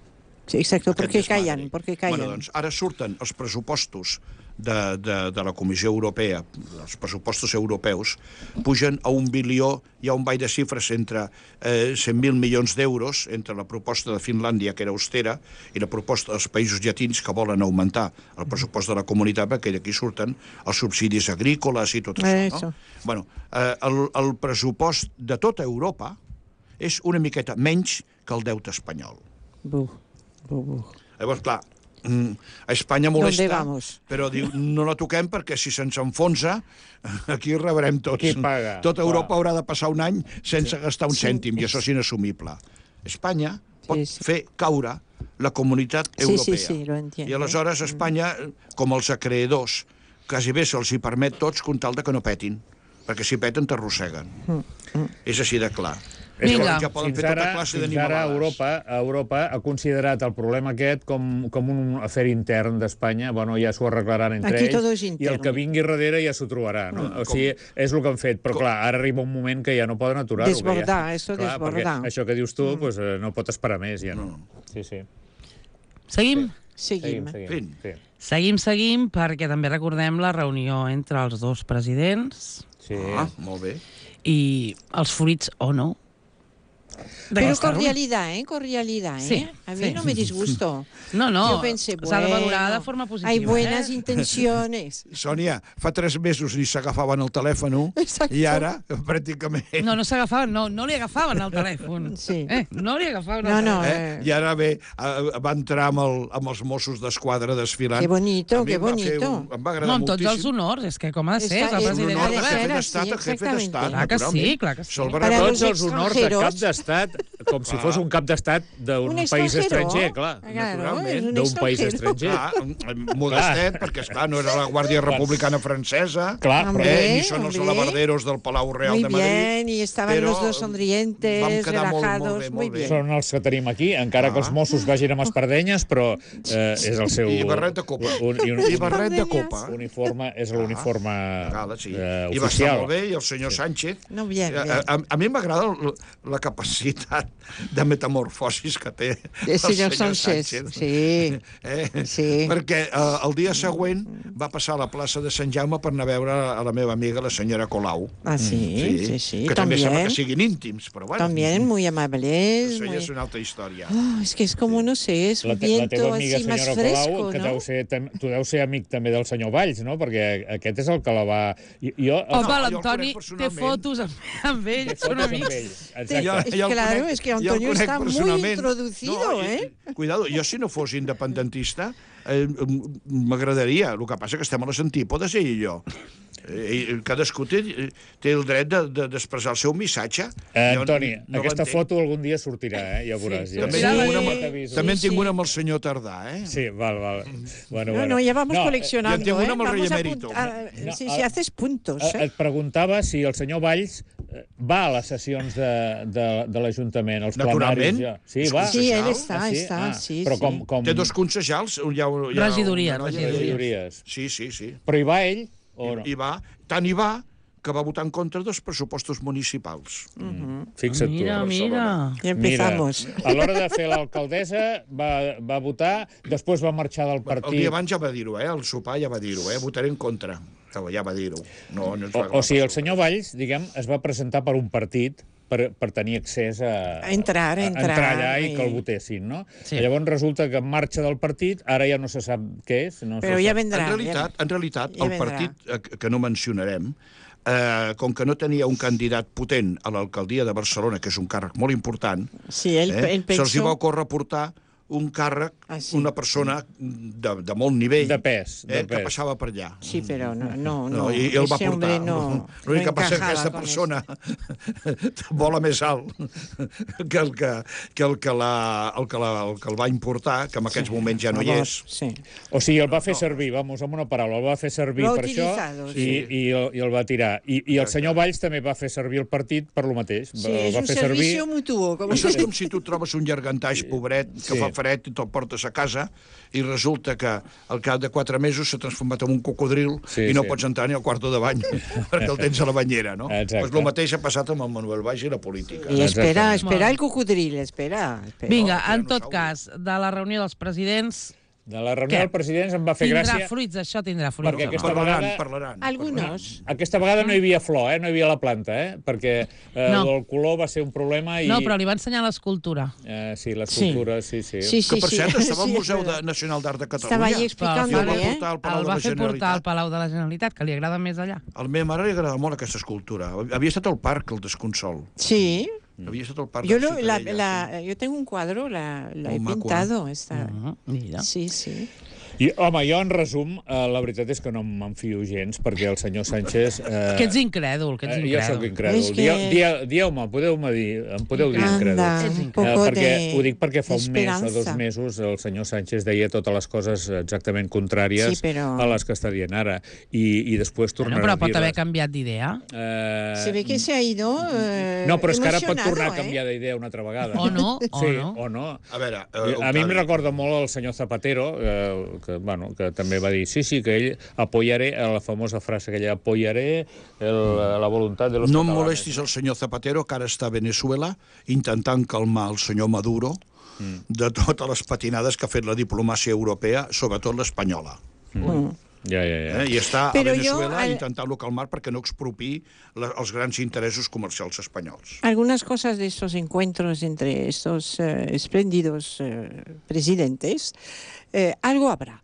Sí, exacto, Aquest porque desmadre. callan, porque callan. Bueno, doncs ara surten els pressupostos de la Comissió Europea, els pressupostos europeus, pugen a 1 bilió, hi ha un ball de xifres entre 100.000 milions d'euros, entre la proposta de Finlàndia, que era austera, i la proposta dels països llatins que volen augmentar el pressupost de la comunitat, perquè d'aquí surten els subsidis agrícoles i tot això. No? Bueno, el pressupost de tota Europa és una miqueta menys que el deute espanyol. Llavors, clar, a Espanya molesta, però diu, no la toquem perquè si se'ns enfonsa, aquí rebrem tots. Qui paga? Tota Europa haurà de passar un any sense gastar un cèntim, i això és inassumible. Espanya pot fer caure la comunitat europea. I aleshores Espanya, com els acreedors, quasi bé se'ls hi permet tots com tal de que no petin, perquè si peten t'arrosseguen. És així de clar. Vinga. Fins ara Europa ha considerat el problema aquest com un afer intern d'Espanya. Bueno, ja s'ho arreglaran entre ells i el que vingui darrere ja s'ho trobarà. No? O sigui, és el que han fet. Però clar, ara arriba un moment que ja no poden aturar-ho. Desbordar, perquè això que dius tu no pot esperar més. Ja no. Seguim? Seguim, perquè també recordem la reunió entre els dos presidents. Molt bé. I els fruits o no. Pero cordialidad, cordialidad, Sí, a mí no me disgusto. No, Yo pensé, s'ha de valorar de forma positiva. Hay buenas intenciones. Sònia, fa 3 mesos ni s'agafaven el telèfon i ara, pràcticament... No s'agafaven, no li agafaven el telèfon. Sí. No li agafaven el telèfon. I ara va entrar amb els Mossos d'Esquadra desfilant. Que bonito, que bonito. Em va agradar moltíssim. amb tots els honors, és que com ha de ser, és el president del govern. jefe d'estat, Clar que sí, clar que sí. Tots els honors de cap d'estat, com si fos un cap d'estat d'un país estranger, clar. Naturalment. D'un país estranger. Modestet, perquè, esclar, no era la Guàrdia Republicana Francesa, ni són els alabarderos del Palau Real de Madrid. Muy bien, y estaban los dos sonrientes, relajados, muy bien. Són els que tenim aquí, encara que els Mossos vagin amb espardenyes, però és el seu... I barret de copa. I barret de copa. És l'uniforme oficial. I va estar molt bé, i el senyor Sánchez... A mi m'agrada la capacitat de metamorfosis que té el senyor Sánchez. Sí. Perquè el dia següent va passar a la plaça de Sant Jaume per anar a veure a la meva amiga, la senyora Colau. Sí. Que també sembla que siguin íntims, però bueno. También muy amables. Això ja és una altra història. Es que es como, no sé, es un viento así más fresco, ¿no? Tu deus ser amic també del senyor Valls, no? Perquè aquest és el que la va... Home, l'Antoni té fotos amb ell, són amics. Claro, es que Antonio está muy introducido, Cuidado, jo si no fos independentista m'agradaria. El que passa que estem a les antípodes, ell i jo. Cadascú té el dret d'expressar el seu missatge. Antoni, aquesta foto algun dia sortirà, ja veuràs. També en tinc una amb el senyor Tardà, Sí, val. No, ya vamos coleccionando. Ja en tinc una amb el rei emèrito. Si haces puntos. Et preguntava si el senyor Valls va a les sessions de l'Ajuntament, als plenaris. Naturalment. Sí, ell està. Però com... Té 2 concejals. Regidories. Sí. Però hi va ell? Tant hi va que va votar en contra dels pressupostos municipals. Fixa't tu. Mira. Ja empezamos. A l'hora de fer l'alcaldessa va votar, després va marxar del partit. El dia abans ja va dir-ho, al sopar ja va dir-ho, votaré en contra. Ja va dir-ho. O sigui, el senyor Valls, diguem, es va presentar per un partit per tenir accés a entrar allà i que el votessin, no? Llavors resulta que marxa del partit, ara ja no se sap què és. Però ja vendrà. En realitat, el partit que no mencionarem, com que no tenia un candidat potent a l'alcaldia de Barcelona, que és un càrrec molt important, se'ls hi va ocórrer portar un càrrec, sí. una persona de molt nivell. De pes. Que passava per allà. Sí, però no. I el va ese portar. hombre no L'únic que passa és que aquesta encajaba con persona vola més alt que el que el va importar, que en aquests moments ja no hi és. Sí. O sigui, el va fer servir, vamos, amb una paraula, el va fer servir Lo ha per això utilizado, i el va tirar. I el senyor Valls també va fer servir el partit per lo mateix. Sí, és un servicio mutuo. Això és com si tu trobes un llargantaix pobret que fa fred i te'l portes a casa i resulta que al cap de 4 mesos s'ha transformat en un cocodril i no pots entrar ni al quarto de bany perquè el tens a la banyera, no? Doncs el mateix ha passat amb el Manuel Valls i la política. I espera el cocodril, espera. Vinga, en tot cas, de la reunió dels presidents... De la reunió dels presidents em va fer gràcia... Tindrà fruits, això tindrà fruits. Perquè aquesta vegada... Parlaran. Algunos. Aquesta vegada no hi havia flor, no hi havia la planta, perquè el color va ser un problema i... No, però li va ensenyar l'escultura. Sí, l'escultura, sí. Que, per cert, estava al Museu Nacional d'Art de Catalunya. Estava allí explicant-li, El va fer portar al Palau de la Generalitat, que li agrada més allà. A la meva mare li agrada molt aquesta escultura. Havia estat al parc, el Desconsol. Sí. Había estado el parque. Yo tengo un cuadro, la he pintado. Esta. Mira. Sí. I, home, jo, en resum, la veritat és que no m'enfio gens, perquè el senyor Sánchez... Que ets incrèdul, Jo soc incrèdul. Dieu-me, podeu-me dir, em podeu dir incrèdul. Perquè ho dic perquè fa un mes o 2 mesos el senyor Sánchez deia totes les coses exactament contràries a les que està dient ara. I després tornarà a dir-les. Però pot haver canviat d'idea. Se ve que se ha ido no, però és que ara pot tornar a canviar d'idea una altra vegada. O no, sí, o no. A veure... A mi em recorda molt el senyor Zapatero, que també va dir, sí, que ell apoyaré, la famosa frase que ell apoyaré la voluntat de los No catalanes. em molestis el senyor Zapatero, que ara està a Venezuela intentant calmar el senyor Maduro de totes les patinades que ha fet la diplomàcia europea, sobretot l'espanyola. I està a Venezuela intentant-lo calmar perquè no expropi els grans interessos comercials espanyols. Algunas cosas de estos encuentros entre estos espléndidos presidentes, algo habrá.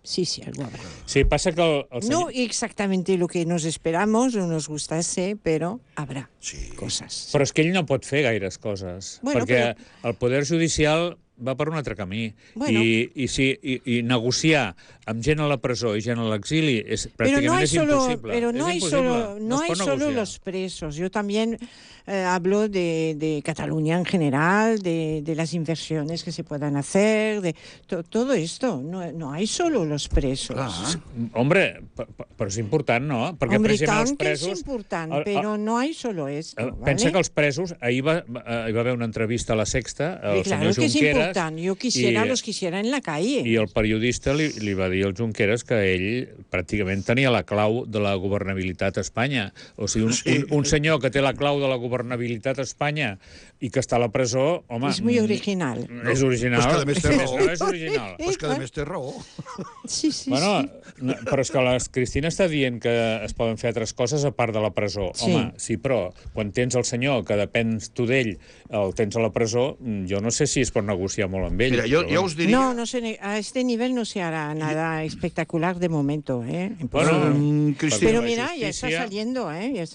Sí, algo habrá. Sí, pasa que el senyor... No exactamente lo que nos esperamos o nos gustase, pero habrá cosas. Però és que ell no pot fer gaires coses, perquè el poder judicial va per un altre camí. I negociar amb gent a la presó i gent a l'exili pràcticament és impossible. Pero no hay solo los presos. Yo también hablo de Cataluña en general, de las inversiones que se puedan hacer, de todo esto. No hay solo los presos. Hombre, però és important, no? Perquè, Hombre, per exemple, tant que és important, però no hay solo esto. Pensa que els presos, ahir va haver una entrevista a La Sexta, al senyor Junqueras... Yo los quisiera en la calle. I el periodista li va dir al Junqueras que ell pràcticament tenia la clau de la governabilitat a Espanya. O sigui, un senyor que té la clau de la governabilitat a Espanya i que està a la presó, home... És muy original. És original. Pues que a més té raó. No és original. Pues que a més té raó. Sí. Però és que la Cristina està dient que es poden fer altres coses a part de la presó. Home, sí, però quan tens el senyor que depens tu d'ell, el tens a la presó, jo no sé si es pot negociar molt amb ell. Mira, jo us diria... a este nivel no se hará nada espectacular de momento, Cristina, pero mira, ya está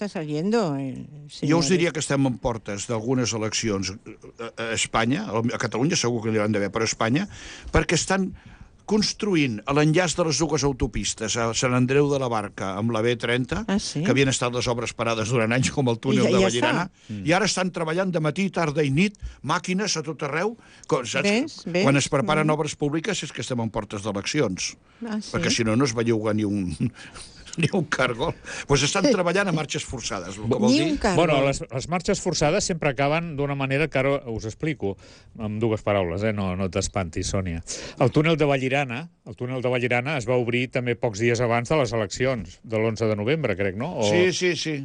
saliendo, Jo us diria que estem en portes d'algunes eleccions a Espanya, a Catalunya segur que n'hi hauran d'haver, però a Espanya, perquè estan construint l'enllaç de les dues autopistes a Sant Andreu de la Barca amb la B30, que havien estat les obres parades durant anys, com el túnel de Vallirana, i ara estan treballant de matí, tarda i nit, màquines a tot arreu. Quan es preparen obres públiques és que estem en portes d'eleccions, perquè si no es belluga ni un cargol. Doncs estan treballant a marxes forçades, el que vol dir... Bueno, les marxes forçades sempre acaben d'una manera que ara us explico, amb 2 paraules, no t'espantis, Sònia. El túnel de Vallirana es va obrir també pocs dies abans de les eleccions, de l'11 de novembre, crec, no? Sí.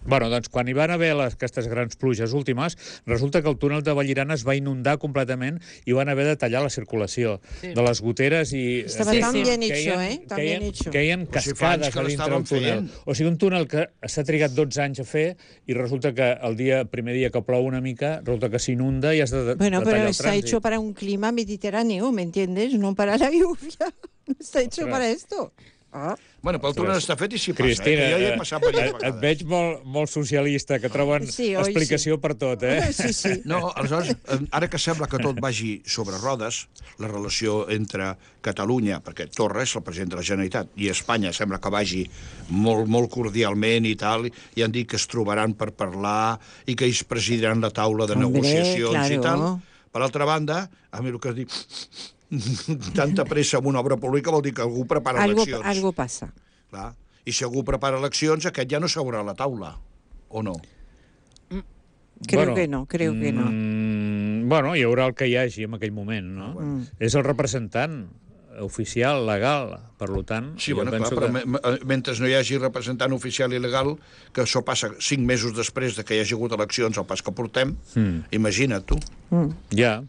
Bueno, doncs quan hi van haver aquestes grans pluges últimes, resulta que el túnel de Vallirana es va inundar completament i van haver de tallar la circulació de les goteres i... Estava tan bien hecho, Tan bien hecho. Caien cascades a dintre del túnel. O sigui, un túnel que s'ha trigat 12 anys a fer i resulta que el primer dia que plou una mica, resulta que s'inunda i has de tallar el trànsit. Bueno, però està hecho para un clima mediterráneo, ¿me entiendes? No para la lluvia. Está hecho para esto. Bueno, pel túnel està fet i s'hi passa. Cristina, Jo hi he passat diverses et vegades. veig molt socialista, que troben Sí, oi, explicació per tot, eh? Sí. No, aleshores, ara que sembla que tot vagi sobre rodes, la relació entre Catalunya, perquè Torra és el president de la Generalitat, i Espanya sembla que vagi molt cordialment i tal, i han dit que es trobaran per parlar i que ells presidiran la taula de negociacions i tal. Per altra banda, a mi el que es diu tanta pressa en una obra pública vol dir que algú prepara eleccions. Algo passa. Clar. I si algú prepara eleccions, aquest ja no seurà a la taula, o no? Creo que no. Bueno, hi haurà el que hi hagi en aquell moment, no? És el representant oficial, legal, per tant... Sí, bueno, clar, però mentre no hi hagi representant oficial i legal, que això passa 5 mesos després de que hi hagi hagut eleccions, al pas que portem, imagina't tu. Ja.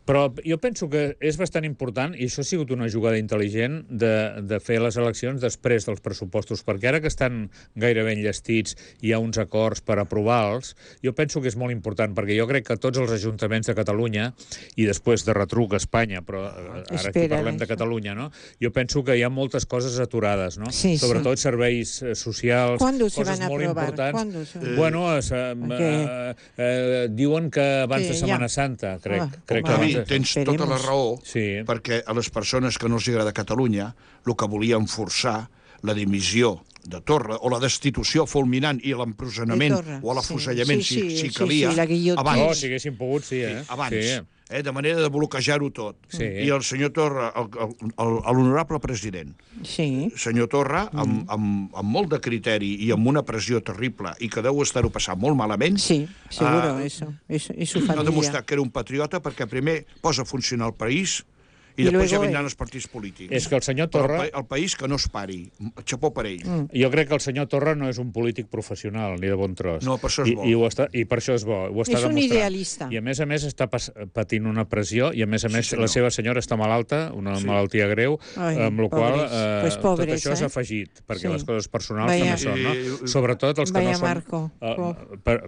Però jo penso que és bastant important, i això ha sigut una jugada intel·ligent, de fer les eleccions després dels pressupostos, perquè ara que estan gairebé enllestits i hi ha uns acords per aprovar-los, jo penso que és molt important, perquè jo crec que tots els ajuntaments de Catalunya, i després de retruc a Espanya, però ara aquí parlem de Catalunya, no? Jo penso que hi ha moltes coses aturades, no? Sí, sobretot serveis socials, coses molt importants. Bueno, diuen que abans de Setmana Santa, crec que tens tota la raó, perquè a les persones que no els agrada Catalunya el que volien forçar la dimissió de Torra o la destitució fulminant i l'empresonament o l'afusellament si calia abans. Oh, si haguessin pogut, abans. De manera de bloquejar-ho tot. I el senyor Torra, l'honorable president, senyor Torra, amb molt de criteri i amb una pressió terrible i que deu estar-ho passant molt malament, ha demostrat que era un patriota perquè primer posa a funcionar el país i després ja vindran els partits polítics. És que el senyor Torra... El país que no es pari. Xapó per ell. Jo crec que el senyor Torra no és un polític professional, ni de bon tros. No, per això és bo. I per això és bo. Ho està és un idealista. I a més està patint una pressió, i a més la seva senyora està malalta, una malaltia greu, amb la qual tot això s'ha afegit, perquè les coses personals també són, no? Sobretot els que no són...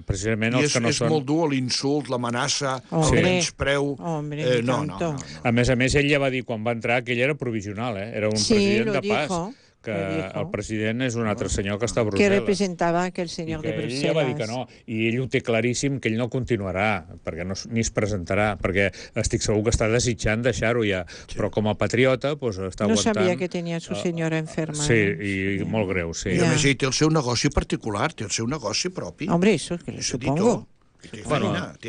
Precisament els que no són... I és molt dur l'insult, l'amenaça, el menyspreu... No. A més, ell ja va dir quan va entrar que ell era provisional, era un president de pas, que el president és un altre senyor que està a Brussel·les. Que representava aquell senyor de Brussel·les. Ell ja va dir que no, i ell ho té claríssim que ell no continuarà, perquè ni es presentarà, perquè estic segur que està desitjant deixar-ho ja, però com a patriota està aguantant... No sabia que tenia su senyora enferma. Sí, i molt greu, sí. I a més ell té el seu negoci particular, té el seu negoci propi. Hombre, eso que le supongo. Té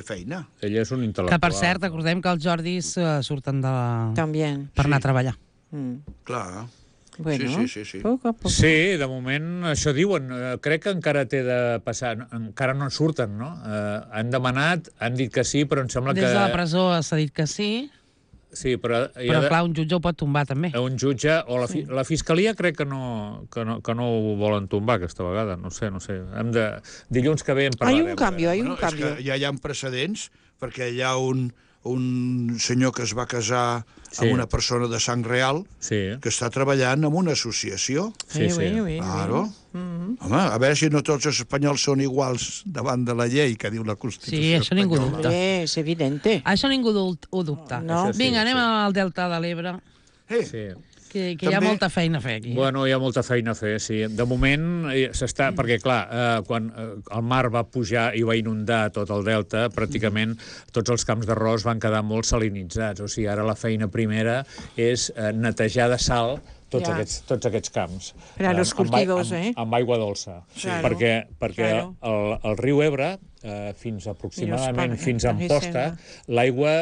feina. Ell és un intel·lectual. Que, per cert, recordem que els Jordis surten per anar a treballar. Clar. Bueno, sí. Poc a poc. Sí, de moment, això diuen. Crec que encara té de passar. Encara no en surten, no? Han demanat, han dit que sí, però em sembla que... Des de la presó s'ha dit que sí. Sí, però clar, un jutge ho pot tombar, també. Un jutge, o la Fiscalia crec que no ho volen tombar aquesta vegada, no sé. Dilluns que ve en parlarem. Hay un canvi. És que ja hi ha precedents, perquè hi ha un senyor que es va casar amb una persona de sang real que està treballant en una associació. Sí. Claro. Home, a veure si no tots els espanyols són iguals davant de la llei que diu la Constitució. Sí, això ningú dubta. És evidente. Això ningú ho dubta. Vinga, anem al Delta de l'Ebre. Sí. Que hi ha molta feina a fer aquí. Bueno, hi ha molta feina a fer, sí. De moment s'està... Perquè, clar, quan el mar va pujar i va inundar tot el delta, pràcticament tots els camps d'arròs van quedar molt salinitzats. O sigui, ara la feina primera és netejar de sal tots aquests camps. Per a los cultivos, amb aigua dolça. Perquè el riu Ebre, fins aproximadament fins a Amposta, l'aigua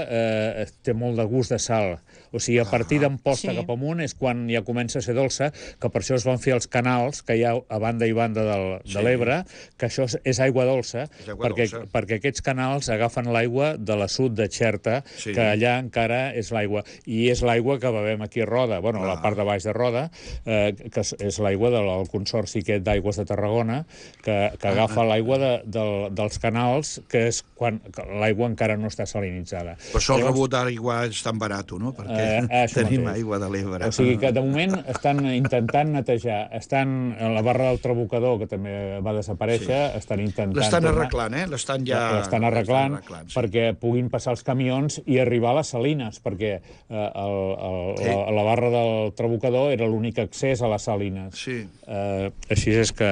té molt de gust de sal. O sigui, a partir d'Amposta cap amunt és quan ja comença a ser dolça, que per això es van fer els canals que hi ha a banda i banda de l'Ebre, que això és aigua dolça, perquè aquests canals agafen l'aigua de la sud de Xerta, que allà encara és l'aigua. I és l'aigua que bevem aquí a Roda, bueno, a la part de baix de Roda, que és l'aigua del Consorci aquest d'Aigües de Tarragona, que agafa l'aigua dels canals tan alts que és quan l'aigua encara no està salinitzada. Per això el rebut d'aigua és tan barat, no? Perquè tenim aigua de l'Ebre. O sigui que, de moment, estan intentant netejar. La barra del Trabucador, que també va desaparèixer, estan intentant... L'estan arreglant, L'estan arreglant perquè puguin passar els camions i arribar a les Salines, perquè la barra del Trabucador era l'únic accés a les Salines. Sí. Així és que,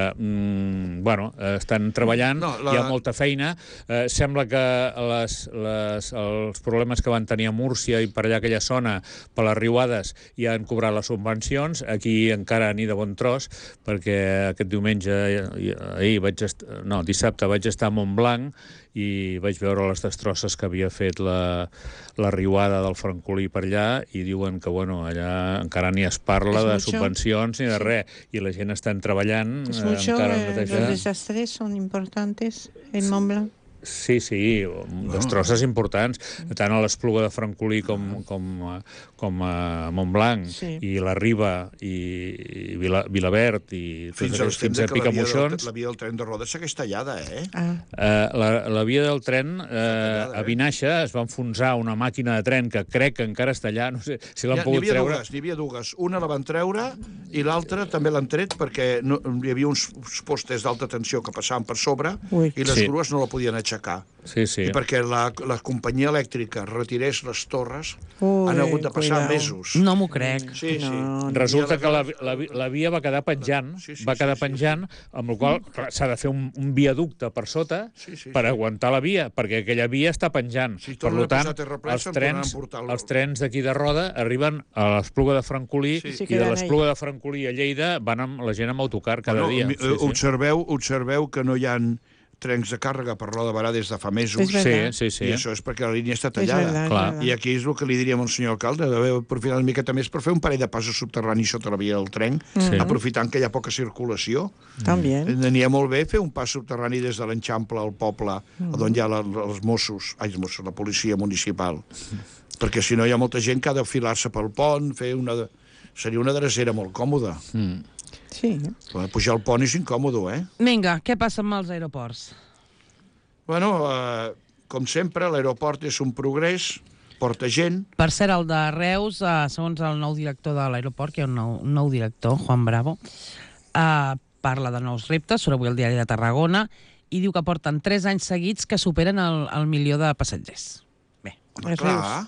estan treballant, hi ha molta feina. Sembla que els problemes que van tenir a Múrcia i per allà aquella zona, per les riuades, ja han cobrat les subvencions. Aquí encara ni de bon tros, perquè aquest dissabte vaig estar a Montblanc i vaig veure les destrosses que havia fet la riuada del Francolí per allà i diuen que allà encara ni es parla de subvencions ni de res, i la gent està treballant encara a netejar. Los desastres son importantes en Montblanc. Sí, destrosses importants, tant a l'Espluga de Francolí com a Montblanc, i la Riba i Vilaverd i fins a Picamoixons. La via del tren de Rodes segueix tallada, La via del tren a Vinaixa es va enfonsar una màquina de tren que crec que encara està allà, no sé si l'han pogut treure. N'hi havia dues, una la van treure i l'altra també l'han tret perquè hi havia uns postes d'alta tensió que passaven per sobre i les grues no la podien aixecar. I perquè la companyia elèctrica retirés les torres han hagut de passar mesos. No m'ho crec. Resulta que la via va quedar penjant, amb la qual s'ha de fer un viaducte per sota per aguantar la via, perquè aquella via està penjant. Per tant, els trens d'aquí de Roda arriben a l'Espluga de Francolí i de l'Espluga de Francolí a Lleida van amb la gent amb autocar cada dia. Observeu que no hi ha trens de càrrega per Roda de Barà des de fa mesos. Sí. I això és perquè la línia està tallada. I aquí és el que li diríem al senyor alcalde, d'haver aprofitat una miqueta més per fer un parell de passos subterranis sota la via del tren, aprofitant que hi ha poca circulació. N'hi ha molt bé fer un pas subterrani des de l'Enxample al poble, on hi ha els Mossos, la policia municipal. Perquè si no hi ha molta gent que ha d'enfilar-se pel pont, seria una drecera molt còmoda. Sí. Pujar al pont és incòmodo, Vinga, què passa amb els aeroports? Com sempre, l'aeroport és un progrés, porta gent. Per cert, el de Reus, segons el nou director de l'aeroport, que hi ha un nou director, Juan Bravo, parla de nous reptes, surt avui al diari de Tarragona, i diu que porten 3 anys seguits que superen el 1.000.000 de passatgers. Bé, clar,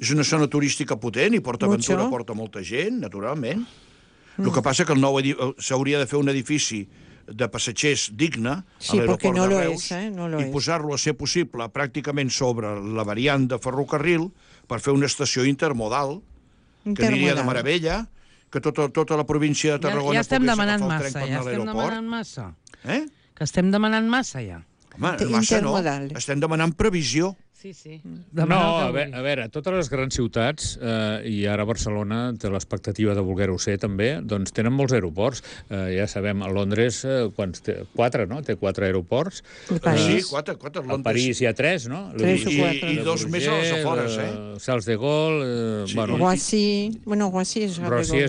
és una zona turística potent i PortAventura porta molta gent, naturalment. El que passa que s'hauria de fer un edifici de passatgers digne a l'aeroport de Reus i posar-lo a ser possible pràcticament sobre la variant de ferrocarril per fer una estació intermodal que aniria de meravella, que tota la província de Tarragona pogués agafar el tren per anar a l'aeroport. Que estem demanant massa, ja. Home, massa no. Estem demanant previsió. Sí. No, a veure, totes les grans ciutats, i ara Barcelona té l'expectativa de voler-ho ser també, doncs tenen molts aeroports. Ja sabem, a Londres, quants té? 4, no? Té 4 aeroports. Sí, 4. A París hi ha 3, no? 3 o 4. I 2 més a les afores, Charles de Gaulle... Roissy. Bueno, Roissy és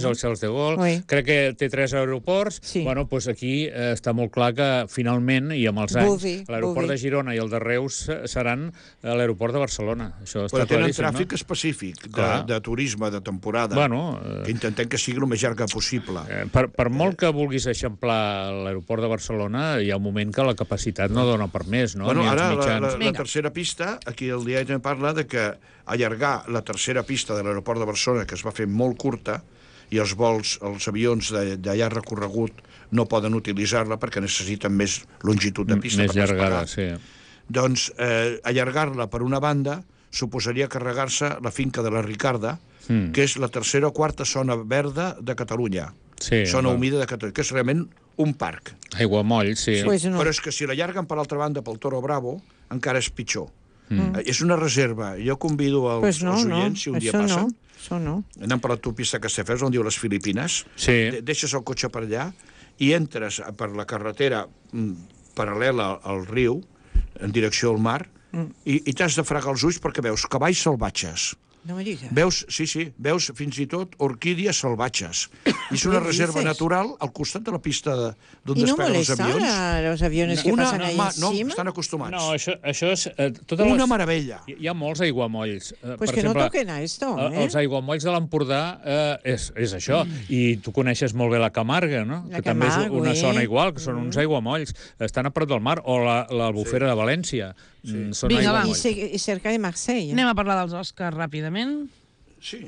el Charles de Gaulle. Crec que té 3 aeroports. Bueno, doncs aquí està molt clar que finalment, i amb els anys, l'aeroport de Girona i el de Reus seran l'aeroport de Barcelona. Però tenen tràfic específic de turisme, de temporada, que intentem que sigui el més llarga possible. Per molt que vulguis eixamplar l'aeroport de Barcelona, hi ha un moment que la capacitat no dona per més, no? Ara, la tercera pista, aquí el diari també parla de que allargar la tercera pista de l'aeroport de Barcelona, que es va fer molt curta, i els avions de llarg recorregut no poden utilitzar-la perquè necessiten més longitud de pista. Més llargada, sí. Doncs allargar-la per una banda suposaria carregar-se la finca de la Ricarda, que és la tercera o quarta zona verda de Catalunya. Zona humida de Catalunya, que és realment un parc. Aiguamoll, sí. Però és que si l'allarguen per l'altra banda pel Toro Bravo, encara és pitjor. És una reserva. Jo convido els oients, si un dia passen, anant per l'autopista Castelldefels, on diu les Filipines, deixes el cotxe per allà i entres per la carretera paral·lela al riu, en direcció al mar, i t'has de fregar els ulls perquè veus cavalls salvatges, No me digas. Veus fins i tot orquídies salvatges. I és una reserva natural al costat de la pista d'on ¿Y no despeguen els molesta avions. a los aviones que pasan ahí No, encima? estan acostumats. No, això és... Una meravella. Hi ha molts aiguamolls. Pues que no toquen a esto, Els aiguamolls de l'Empordà és això. I tu coneixes molt bé la Camarga, no? La Que també és Camargo, una zona igual, que són uns aiguamolls. Estan a prop del mar. O l'Albufera de València. Són Vinga, va. aiguamolls. Y cerca de Marsella. Anem a parlar dels Oscars ràpidament. Sí.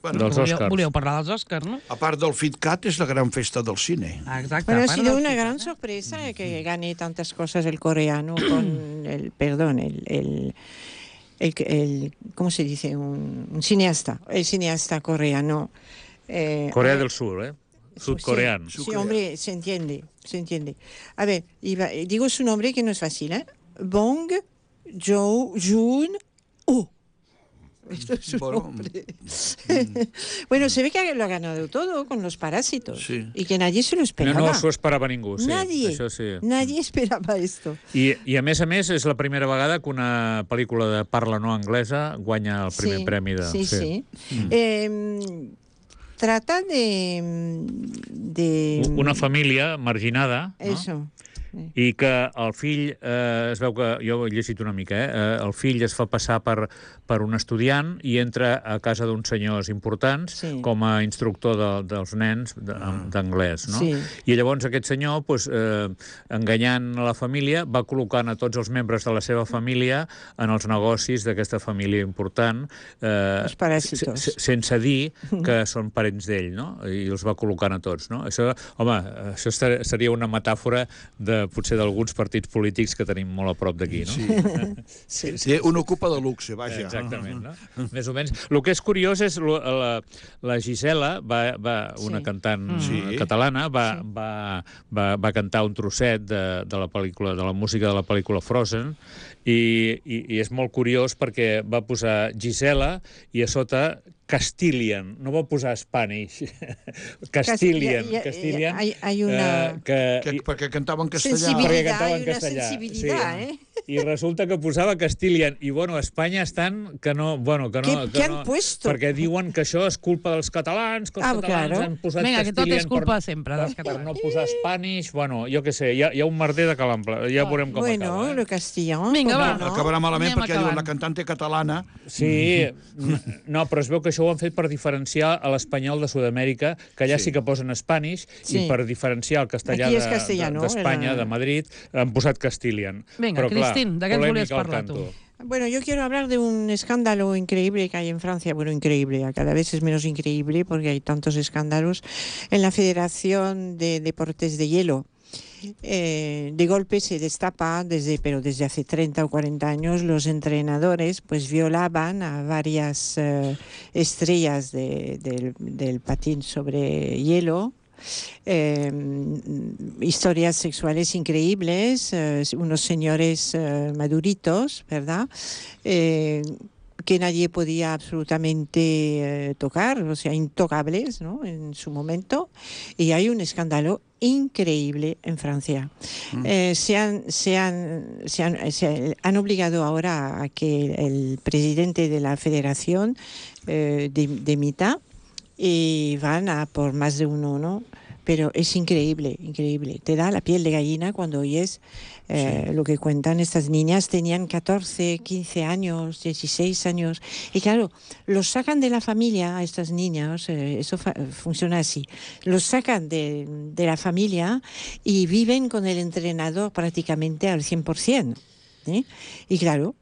Bueno, Dels Oscars. Volíeu parlar dels Oscars, no? a part del FitCat, és la gran festa del cine. Exacte. Bueno, ha a part sido del una FIFA, gran sorpresa que gane tantas cosas el coreano con ¿cómo se dice? Un cineasta, el cineasta coreano. Corea del Sur, sudcoreano. Sí, hombre, se entiende. A ver, digo su nombre que no es fácil, ¿eh? Bong Joon-ho. Esto es su nombre. Bueno, se ve que lo ha ganado todo con Los Parásitos. Sí. Y que nadie se lo esperaba. No s'ho esperava ningú, sí. Nadie. Això sí. Nadie esperaba esto. I a més, és la primera vegada que una pel·lícula de parla no anglesa guanya el primer premi de... Sí. Trata de Una família marginada, no? Eso. I que el fill, es veu que, jo he llegit una mica, el fill es fa passar per un estudiant i entra a casa d'uns senyors importants com a instructor dels nens d'anglès, no? Sí. I llavors aquest senyor, enganyant la família, va col·locant a tots els membres de la seva família en els negocis d'aquesta família important, Els paràsitos. sense dir que són parents d'ell, no? I els va col·locant a tots, no? Això seria una metàfora potser d'alguns partits polítics que tenim molt a prop d'aquí, no? Sí. Un ocupa de luxe, vaja. Exactament, no? Més o menys. El que és curiós és la Gisela, una cantant catalana, va cantar un trosset de la pel·lícula, de la música de la pel·lícula Frozen, i és molt curiós perquè va posar Gisela i a sota Castilian, no va posar Spanish. Castilian. Hay una... Perquè cantava en castellà. Sensibilitat, hay una sensibilitat, sí. I resulta que posava Castilian. I, bueno, a Espanya estan que no... ¿Qué han puesto? Perquè diuen que això és culpa dels catalans, que els catalans han posat Vinga, que tot és Castilian culpa sempre dels per catalans. no posar Spanish. Bueno, jo què sé, hi ha un merder de calample. Ja veurem com acaba. Bueno, lo castellano... Vinga, va. no? Acabarà malament Anem perquè diuen acabant. la cantante catalana. Sí, no, però es veu que això ho han fet per diferenciar a l'espanyol de Sud-amèrica, que allà sí que posen Spanish, i per diferenciar el castellà Aquí és castellano, d'Espanya, de Madrid, han posat Castilian. Vinga, Però, clar, Cristín, de què ens volies polèmica al parlar tu? canto. Bueno, yo quiero hablar de un escándalo increíble que hay en Francia. Bueno, increíble, cada vez es menos increíble porque hay tantos escándalos en la Federación de Deportes de Hielo. De golpe se destapa, pero desde hace 30 o 40 años, los entrenadores pues violaban a varias estrellas del patín sobre hielo. Historias sexuales increíbles, unos señores maduritos, ¿verdad? Que nadie podía absolutamente tocar, o sea, intocables, ¿no? En su momento. Y hay un escándalo increíble en Francia. Se han obligado ahora a que el presidente de la federación dimita, y van a por más de uno, ¿no? Pero es increíble. Te da la piel de gallina cuando oyes lo que cuentan estas niñas. Tenían 14, 15 años, 16 años. Y claro, los sacan de la familia a estas niñas, eso funciona así. Los sacan de la familia y viven con el entrenador prácticamente al 100%. Y claro,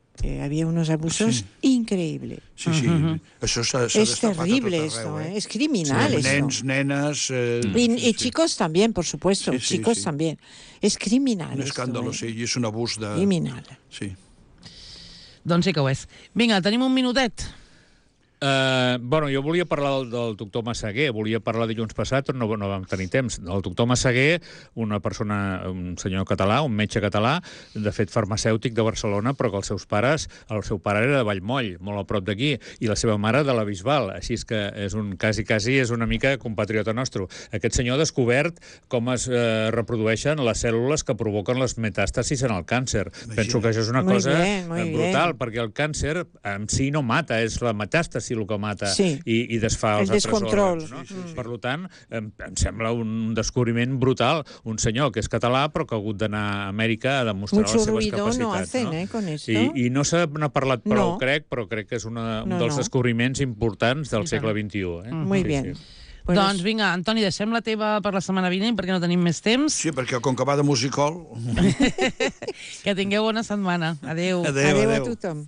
había unos abusos increïbles. Sí. Això s'ha Es destapat terrible a tot esto, arreu, es criminal esto. Nens, nenes... Y chicos también, por supuesto, Sí, chicos también. Es criminal Un esto, escàndalo, sí, i és un abús de... Criminal. Sí. Doncs sí que ho és. Vinga, tenim un minutet. Bueno, jo volia parlar del doctor Massaguer, volia parlar dilluns passat, però no vam tenir temps. El doctor Massaguer, una persona, un senyor català, un metge català, de fet farmacèutic de Barcelona, però que el seu pare era de Vallmoll, molt a prop d'aquí, i la seva mare de la Bisbal, així és que és quasi és una mica compatriota nostre. Aquest senyor ha descobert com es reprodueixen les cèl·lules que provoquen les metàstasis en el càncer. Penso que això és una cosa brutal, perquè el càncer en si no mata, és la metàstasi si el que mata Sí. i desfà els El altres descontrol. òrgans. No? Per tant, em sembla un descobriment brutal. Un senyor que és català però que ha hagut d'anar a Amèrica a demostrar Mucho les seves ruido capacitats. no hacen, con esto. I no se n'ha parlat prou, No. però crec que és un No, dels no. descobriments importants del segle XXI. Muy bien. Pues Doncs vinga, Antoni, deixem la teva per la setmana vinent perquè no tenim més temps. Sí, perquè com que va de musical... Que tingueu bona setmana. Adéu. Adéu, adéu a adéu. tothom.